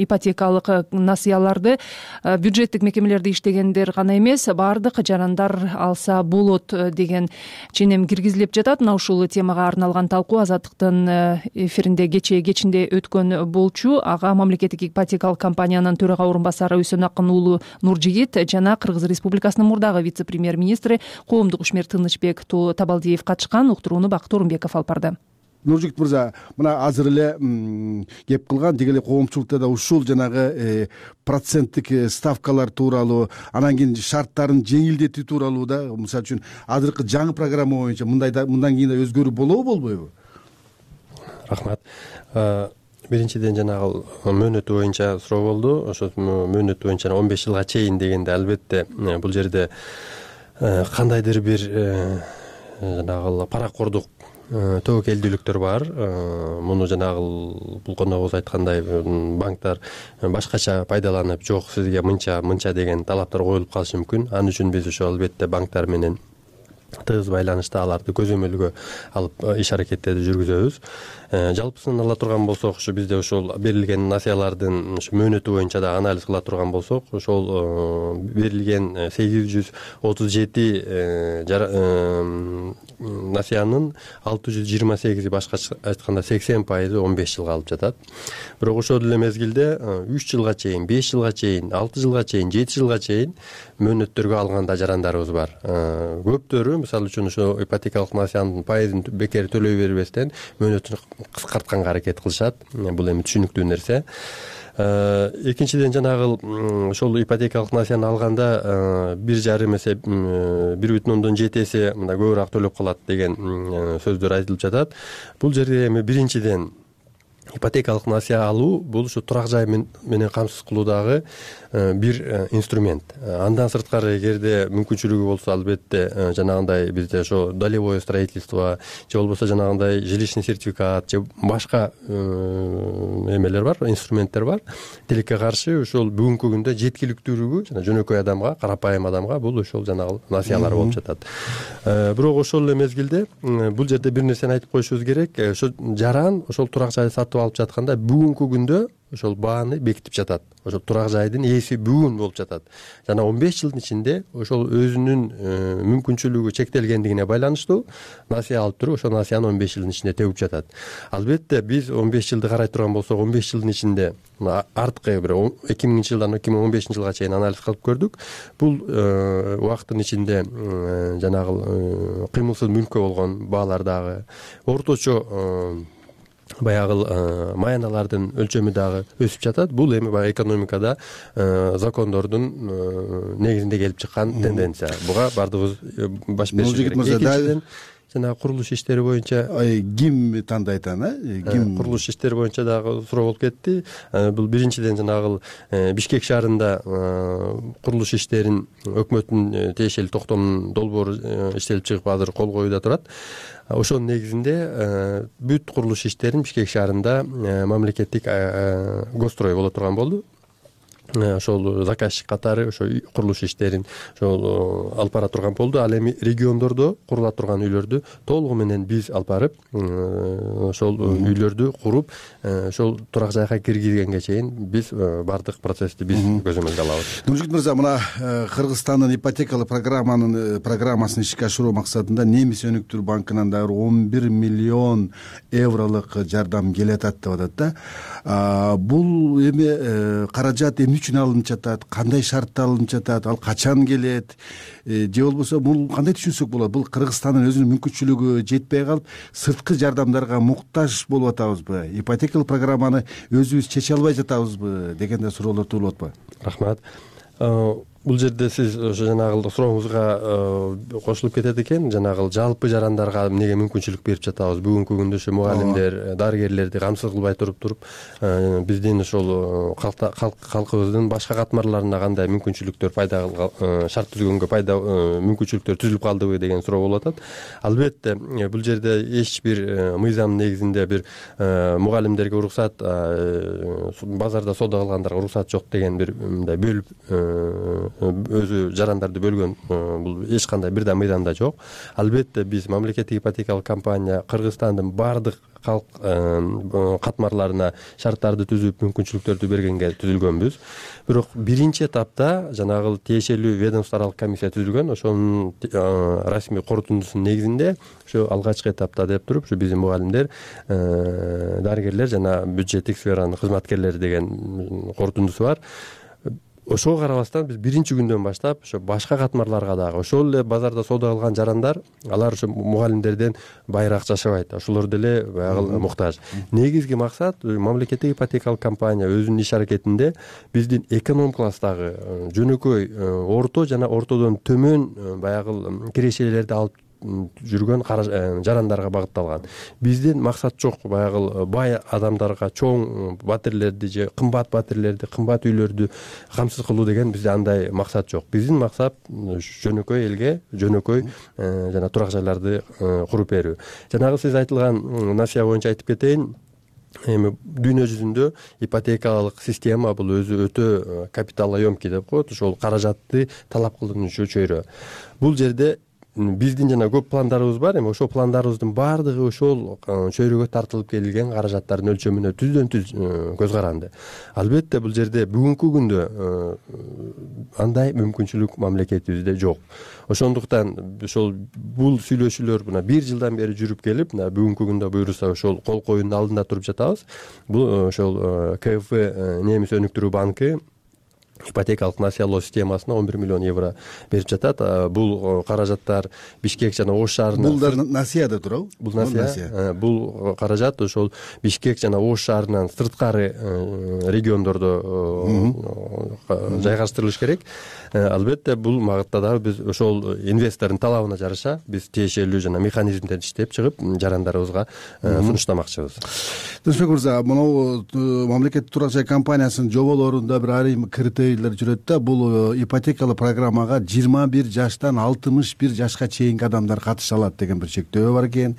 ипотекалык насыяларды бюджеттик мекемелерде иштегендер гана эмес, баардык жарандар алса болот деген ченем киргизилип жатат. Мына ушул темага арналган талкуу Азаттыктын эфиринде кечинде өткөн болчу. Ага мамлекеттик ипотекалык компаниянын төрага орун басары Үсөнакын уулу Нуржигит жана Кыргыз Республикасынын мурдагы вице-премьер-министри Коомдук ишмер Тынычбек Табалдиев катышкан. Уктурууну Бакыт Орунбеков алып барды. Нуржигит мырза, мына азыр эле кеп кылган деги эле коомчулукта да ушул жанагы проценттик ставкалар тууралуу, анан кийин шарттарын жеңилдетүү тууралуу да, мисалы үчүн азыркы жаңы программа боюнча мындан кийин да өзгөрүү болобу, болбойбу? Рахмат. Биринчиден жанагы мөөнөтү боюнча суроо болду. Ошо мөөнөтү боюнча 15 жылга чейин дегенде албетте бул жерде кандайдыр бир жанагы паракордук тобокелдүүлүктөр бар. Муну жанагы бул коногубуз айткандай банктар башкача пайдаланып, жок сизге мынча деген талаптар коюлуп калышы мүмкүн. Ал үчүн биз ошо албетте банктар менен тыгыз байланышта аларды көзөмөлгө алып иш аракеттерди жүргүзөбүз. Жалпысын ала турган болсок, ушу бизде ушул берилген насыялардын мөөнөтү боюнча да анализ кыла турган болсок, ошол берилген 837 насыянын 628 башкача айтканда 80% 15 жылга алып жатат. Бирок ошол эле мезгилде 3 жылга чейин, 5 жылга чейин, 6 жылга чейин, 7 жылга чейин мөөнөттөргө алган да жарандарыбыз бар. Көптөрү мисалы үчүн ошо ипотекалык насыянын пайызын бекер төлөй бербестен мөөнөтүн кыскартканга аракет кылышат. Бул эми түшүнүктүү нерсе. Экинчиден жанагы ошол ипотекалык насыяны алганда 1,5 эсе 1,7 эсе мындай көбүрөөк төлөп калат деген сөздөр айтылып жатат. Бул жерде эми биринчиден ипотекалык насыя алуу бул ушу турак жай менен камсыз кылуудагы бир инструмент. Андан сырткары эгерде мүмкүнчүлүгү болсо, албетте жанагындай бизде ошо долевое строительство же болбосо жанагындай жилищный сертификат же башка эмелер бар, инструменттер бар. Тилекке каршы ошол бүгүнкү күндө жеткиликтүүлүгү жана жөнөкөй адамга, карапайым адамга бул ошол жанагы насыялар болуп жатат. Бирок ошол эле мезгилде бул жерде бир нерсени айтып коюшубуз керек. Ошо жаран ошол турак жайды сатып алып жатканда бүгүнкү күндө ошол бааны бекитип жатат. Ошол турак жайдын ээси бүгүн болуп жатат. Жана 15 жылдын ичинде ошол өзүнүн мүмкүнчүлүгү чектелгендигине байланыштуу насыя алып туруп, ошол насыяны 15 жылдын ичинде төбүп жатат. Албетте биз 15 жылды карай турган болсок, 15 жылдын ичинде арткы бир 2000-жылдан 2015-жылга чейин анализ кылып көрдүк. Бул убакыттын ичинде жанагы кыймылсыз мүлккө болгон баалар дагы орточо баягы маяналардын өлчөмү дагы өсүп жатат. Бул эми баягы экономикада закондордун негизинде келип чыккан тенденция. Буга бардыгыбыз баш беришибиз керек. Экинчиден жана курулуш иштери боюнча ким тандайт аны? Ким курулуш иштери боюнча дагы суроо болуп кетти. Бул биринчиден жанагы Бишкек шаарында курулуш иштерин өкмөттүн тиешелүү токтомунун долбоору иштелип чыгып азыр кол коюуда турат. Ошонун негизинде бүт курулуш иштерин Бишкек шаарында мамлекеттик госстрой боло турган болду. Ошол заказчик катары ошо курулуш иштерин ошол алып бара турган болду. Ал эми региондордо курула турган үйлөрдү толугу менен биз алып барып ошол үйлөрдү куруп ошол турак жайга киргизгенге чейин биз бардык процессти биз көзөмөлгө алабыз. Нуржигит мырза, мына Кыргызстандын ипотекалык программасын ишке ашыруу максатында Немис өнүктүрүү банкынан дагы 11 миллион евролук жардам келатат деп атат да. Бул эми каражат эмне үчүн алынып жатат, кандай шартта алынып жатат, ал качан келет, же болбосо бул кандай түшүнсөк болот? Бул Кыргызстандын өзүнүн мүмкүнчүлүгү жетпей калып, сырткы жардамдарга муктаж болуп атабызбы? Ипотекалык программаны өзүбүз чече албай жатабызбы деген да суроолор туулуп атпайбы? Рахмат. Бул жерде сиз ошо жанагы сурооңузга кошулуп кетет экен. Жанагы жалпы жарандарга эмнеге мүмкүнчүлүк берип жатабыз? Бүгүнкү күндө ошо мугалимдер, дарыгерлерди камсыз кылбай туруп биздин ошол калкыбыздын башка катмарларына кандай мүмкүнчүлүктөр шарт түзгөнгө мүмкүнчүлүктөр түзүлүп калдыбы деген суроо болуп атат. Албетте бул жерде эч бир мыйзам негизинде бир мугалимдерге уруксат, базарда соода кылгандарга уруксат жок деген бир мындай бөлүп өзү жарандарды бөлгөн бул эч кандай бир да мыйзамда жок. Албетте биз мамлекеттик ипотекалык компания Кыргызстандын бардык калк катмарларына шарттарды түзүп, мүмкүнчүлүктөрдү бергенге түзүлгөнбүз. Бирок биринчи этапта жанагы тиешелүү ведомстволук комиссия түзүлгөн. Ошонун расмий корутундусунун негизинде ошо алгачкы этапта деп туруп, ушу биздин мугалимдер, дарыгерлер жана бюджеттик сферанын кызматкерлери деген корутундусу бар. Ошого карабастан биз биринчи күндөн баштап ошо башка катмарларга дагы ошол эле базарда соода кылган жарандар, алар ошо мугалимдерден байыраак жашабайт. Ошолор деле баягы муктаж. Негизги максат мамлекеттик ипотекалык компания өзүнүн иш аракетинде биздин эконом класстагы жөнөкөй, орто жана ортодон төмөн баягы кирешелерди алып жүргөн жарандарга багытталган. Биздин максат жок баягы бай адамдарга чоң батирлерди же кымбат батирлерди, кымбат үйлөрдү камсыз кылуу деген бизде андай максат жок. Биздин максат жөнөкөй элге жөнөкөй жана турак жайларды куруп берүү. Жанагы сиз айтылган насыя боюнча айтып кетейин. Эми дүйнө жүзүндө ипотекалык система бул өзү өтө капиталоемкий деп коет. Ошол каражатты талап кылынуучу чөйрө. Бул жерде биздин жана көп пландарыбыз бар. Эми ошол пландарыбыздын баардыгы ошол чөйрөгө тартылып келген каражаттардын өлчөмүнө түздөн түз көз каранды. Албетте бул жерде бүгүнкү күндө андай мүмкүнчүлүк мамлекетибизде жок. Ошондуктан ошол бул сүйлөшүүлөр мына 1 жылдан бери жүрүп келип, мына бүгүнкү күндө буйруса ошол кол коюунун алдында туруп жатабыз. Бул ошол КФ Немис өнүктүрүү банкы ипотекалык насыялоо системасына 11 миллион евро берип жатат. Бул каражаттар Бишкек жана Ош шаарына. Бул да насыяда турабы? Бул насыя. Бул каражат ошол Бишкек жана Ош шаарынан сырткары региондордо жайгаштырылыш керек. Албетте бул магытта дагы биз ошол инвестордун талабына жараша биз тиешелүү жана механизмдерди иштеп чыгып жарандарыбызга сунуштамакчыбыз. Досбек мырза, могу мамлекеттик турак жай компаниясынын жоболорунда бир айрым критерийлер жүрөт да. Бул ипотекалык программага 21 жаштан 61 жашка чейинки адамдар катыша алат деген бир чектөө бар экен.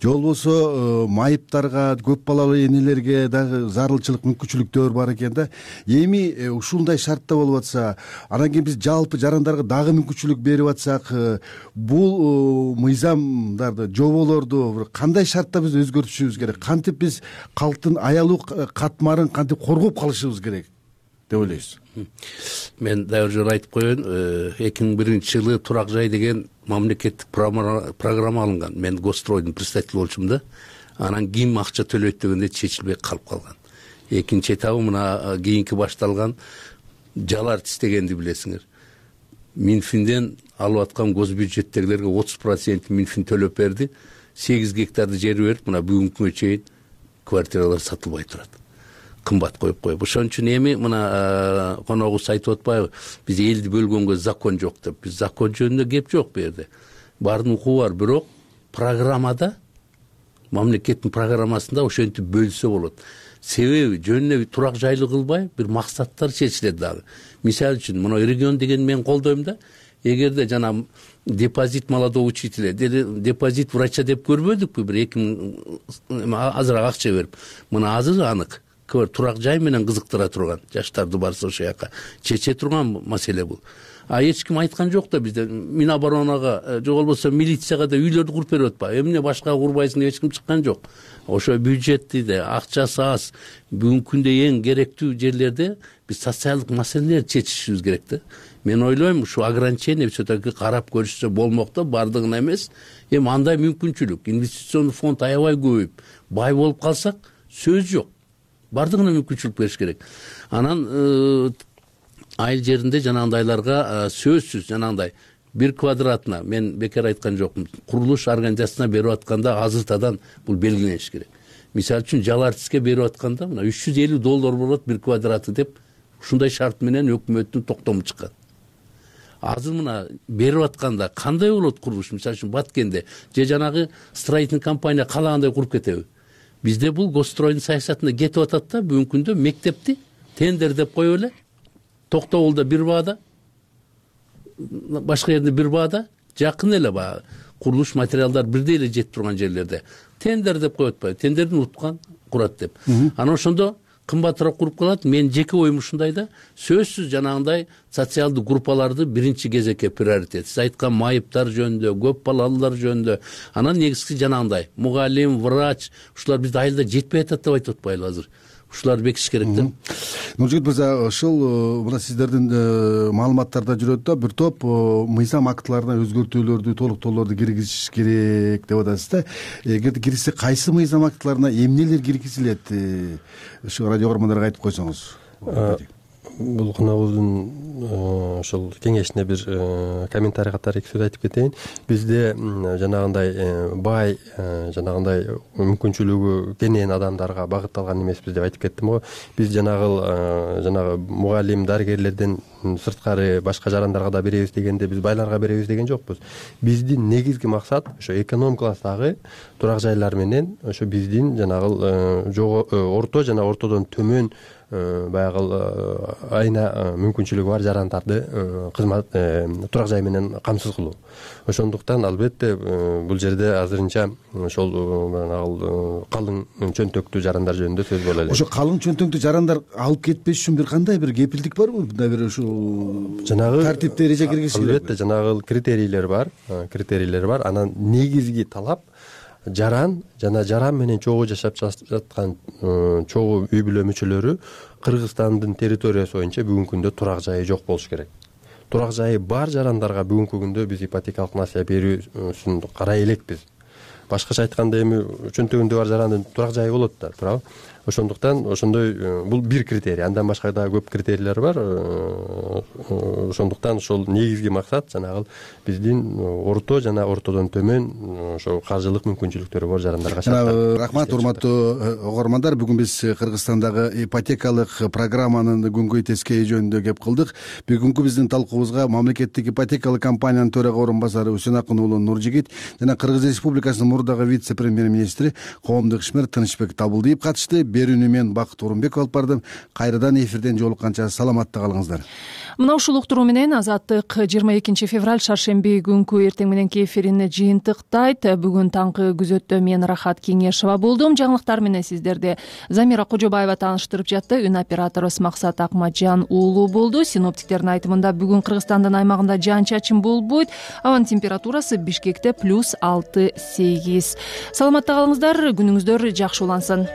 Же болбосо майыптарга, көп балалуу энелерге дагы зарылчылык мүмкүнчүлүктөр бар экен да. Эми ушундай шартта болуп атса, анан кийин биз жалпы жарандарга дагы мүмкүнчүлүк берип атсак, бул мыйзамдарды, жоболорду кандай шартта биз өзгөртүшүбүз керек? Кантип биз калктын аялуу катмарын кантип коргоп калышыбыз керек деп ойлойсуз? Мен дагы жөн айтып коеюн, 2001-жылы турак жай деген мамлекеттик программа алынган. Мен Гостройдун представители болчумун да. Анан ким акча төлөйт дегенде чечилбей калып калган. Экинчи этабы мына кийинки башталган жал артист дегенди билесиңер. Минфинден алып аткан госбюджеттегилерге 30% Минфин төлөп берди. 8 гектарды жер берип, мына бүгүнкү күнгө чейин квартиралар сатылбай турат. Кымбат коюп коюп. Ошон үчүн эми мына коногубуз айтып атпайбы, биз элди бөлгөнгө закон жок деп. Биз закон жөнүндө кеп жок бу жерде. Бардын укугу бар, бирок программада, мамлекеттин программасында ошентип бөлсө болот. Себеби жөнүнө турак жайлы кылбай бир максаттар чечилет дагы. Мисалы үчүн мына регион деген мен колдойм да. Эгерде жана депозит молодого учителя, депозит врача деп көрбөдүкпү, бир 2000 азыраак акча берип. Мына азыр анык. Турак жай менен кызыктыра турган, жаштарды барса ошол жака чече турган маселе бул. Эч ким айткан жок да бизде Миноборонага, же болбосо милицияга да үйлөрдү куруп берип атпайбы. Эмне башка курбайсың деп эч ким чыккан жок. Ошо бюджетти да, акчасы аз, бүгүнкү күндө эң керектүү жерлерде биз социалдык маселелерди чечишибиз керек да. Мен ойлойм, ушу ограничение все-таки карап көрүшсө болмок да, бардыгына эмес. Эми андай мүмкүнчүлүк, инвестиционный фонд аябай көбөйүп, бай болуп калсак, сөз жок. Бардыгына мүмкүнчүлүк бериш керек. Анан айыл жеринде жанагындайларга сөзсүз жанагындай 1 квадратына, мен бекер айткан жокмун, курулуш организациясына берип атканда азыртадан бул белгилениш керек. Мисалы үчүн жал артистке берип атканда мына $350 болот 1 квадраты деп ушундай шарт менен өкмөттүн токтому чыккан. Азыр мына берип атканда кандай болот курулуш? Мисалы үчүн Баткенде же жанагы строительный компания каалагандай куруп кетеби? Бизде бул Гостройдун саясатына кетип атат да, бүгүнкү күндө мектепти тендер деп коюп эле, Токтогулда бир баада, башка жерде бир баада, жакын эле баягы курулуш материалдар бирдей эле жетип турган жерлерде тендер деп коюп атпайбы? Тендердин уткан курат деп. Анан ошондо кымбатыраак куруп калат. Мен жеке оюм ушундай да, сөзсүз жанагындай социалдык группаларды биринчи кезекке приоритет. Сиз айткан майыптар жөнүндө, көп балалуулар жөнүндө, анан негизги жанагындай мугалим, врач, ушулар бизде айылда жетпей атат деп айтып атпайлы азыр. Ушуларды бекитиш керек да. Нуржигит мырза, ушул мына сиздердин маалыматтарда жүрөт да, бир топ мыйзам актыларына өзгөртүүлөрдү, толуктоолорду киргизиш керек деп атасыз да. Эгерде киргизсе, кайсы мыйзам актыларына эмнелер киргизилет? Ушу радио көрөрмандарга айтып койсоңуз. Бул коногубуздун ошол кеңешине бир комментарий катары эки сөз айтып кетейин. Бизде жанагындай бай, жанагындай мүмкүнчүлүгү кенен адамдарга багытталган эмеспиз деп айтып кеттим го. Биз жанагы мугалим, дарыгерлерден сырткары башка жарандарга да беребиз дегенде биз байларга беребиз деген жокпуз. Биздин негизги максат ошо эконом класстагы турак жайлар менен ошо биздин жанагы орто жана ортодон төмөн баягы айына мүмкүнчүлүгү бар жарандарды кызмат турак жай менен камсыз кылуу. Ошондуктан албетте бул жерде азырынча ошол калың чөнтөктүү жарандар жөнүндө сөз боло элек. Ошо калың чөнтөктүү жарандар алып кетпеш үчүн бир кандай бир кепилдик барбы? Мындай бир ушул жанагы тартипте эреже киргизиш керек. Албетте жанагы критерийлер бар. Анан негизги талап жаран жана жаран менен чогуу жашап жаткан чогуу үй бүлө мүчөлөрү Кыргызстандын территориясы боюнча бүгүнкү күндө турак жайы жок болуш керек. Турак жайы бар жарандарга бүгүнкү күндө биз ипотекалык насыя берүүсүн карай элекпиз. Башкача айтканда эми чөнтөгүндө бар жарандын турак жайы болот да, туурабы? ошондуктан ошондой бул бир критерий, андан башка дагы көп критерийлер бар. Ошондуктан ошол негизги максат жанагы биздин орто жана ортодон төмөн ошо каржылык мүмкүнчүлүктөрү бар жарандарга шарттар. Рахмат, урматтуу угармандар. Бүгүн биз Кыргызстандагы ипотекалык программанын күнгөй тескейи жөнүндө кеп кылдык. Бүгүнкү биздин талкуубузга мамлекеттик ипотекалык компаниянын төрага орун басары Үсөнакын уулу Нуржигит жана Кыргыз Республикасынын мурдагы вице-премьер-министри коомдук ишмер Тынычбек Табылдиев катышты. Берүүнү мен Бакыт Орунбеков алып бардым. Кайрадан эфирден жолукканча саламатта калыңыздар. Мына ушул уктуруу менен Азаттык 22 февраль шаршемби күнкү эртең мененки эфирин жыйынтыктайт. Бүгүн таңкы күзөттө мен Рахат Кеңешова болдум. Жаңылыктар менен сиздерди Замира Кожобаева тааныштырып жатты. Үн операторубуз Максат Акматжан уулу болду. Синоптиктердин айтымында бүгүн Кыргызстандын аймагында жаан-чачын болбойт. Абанын температурасы Бишкекте +6-8. Саламатта калыңыздар, күнүңүздөр жакшы улансын.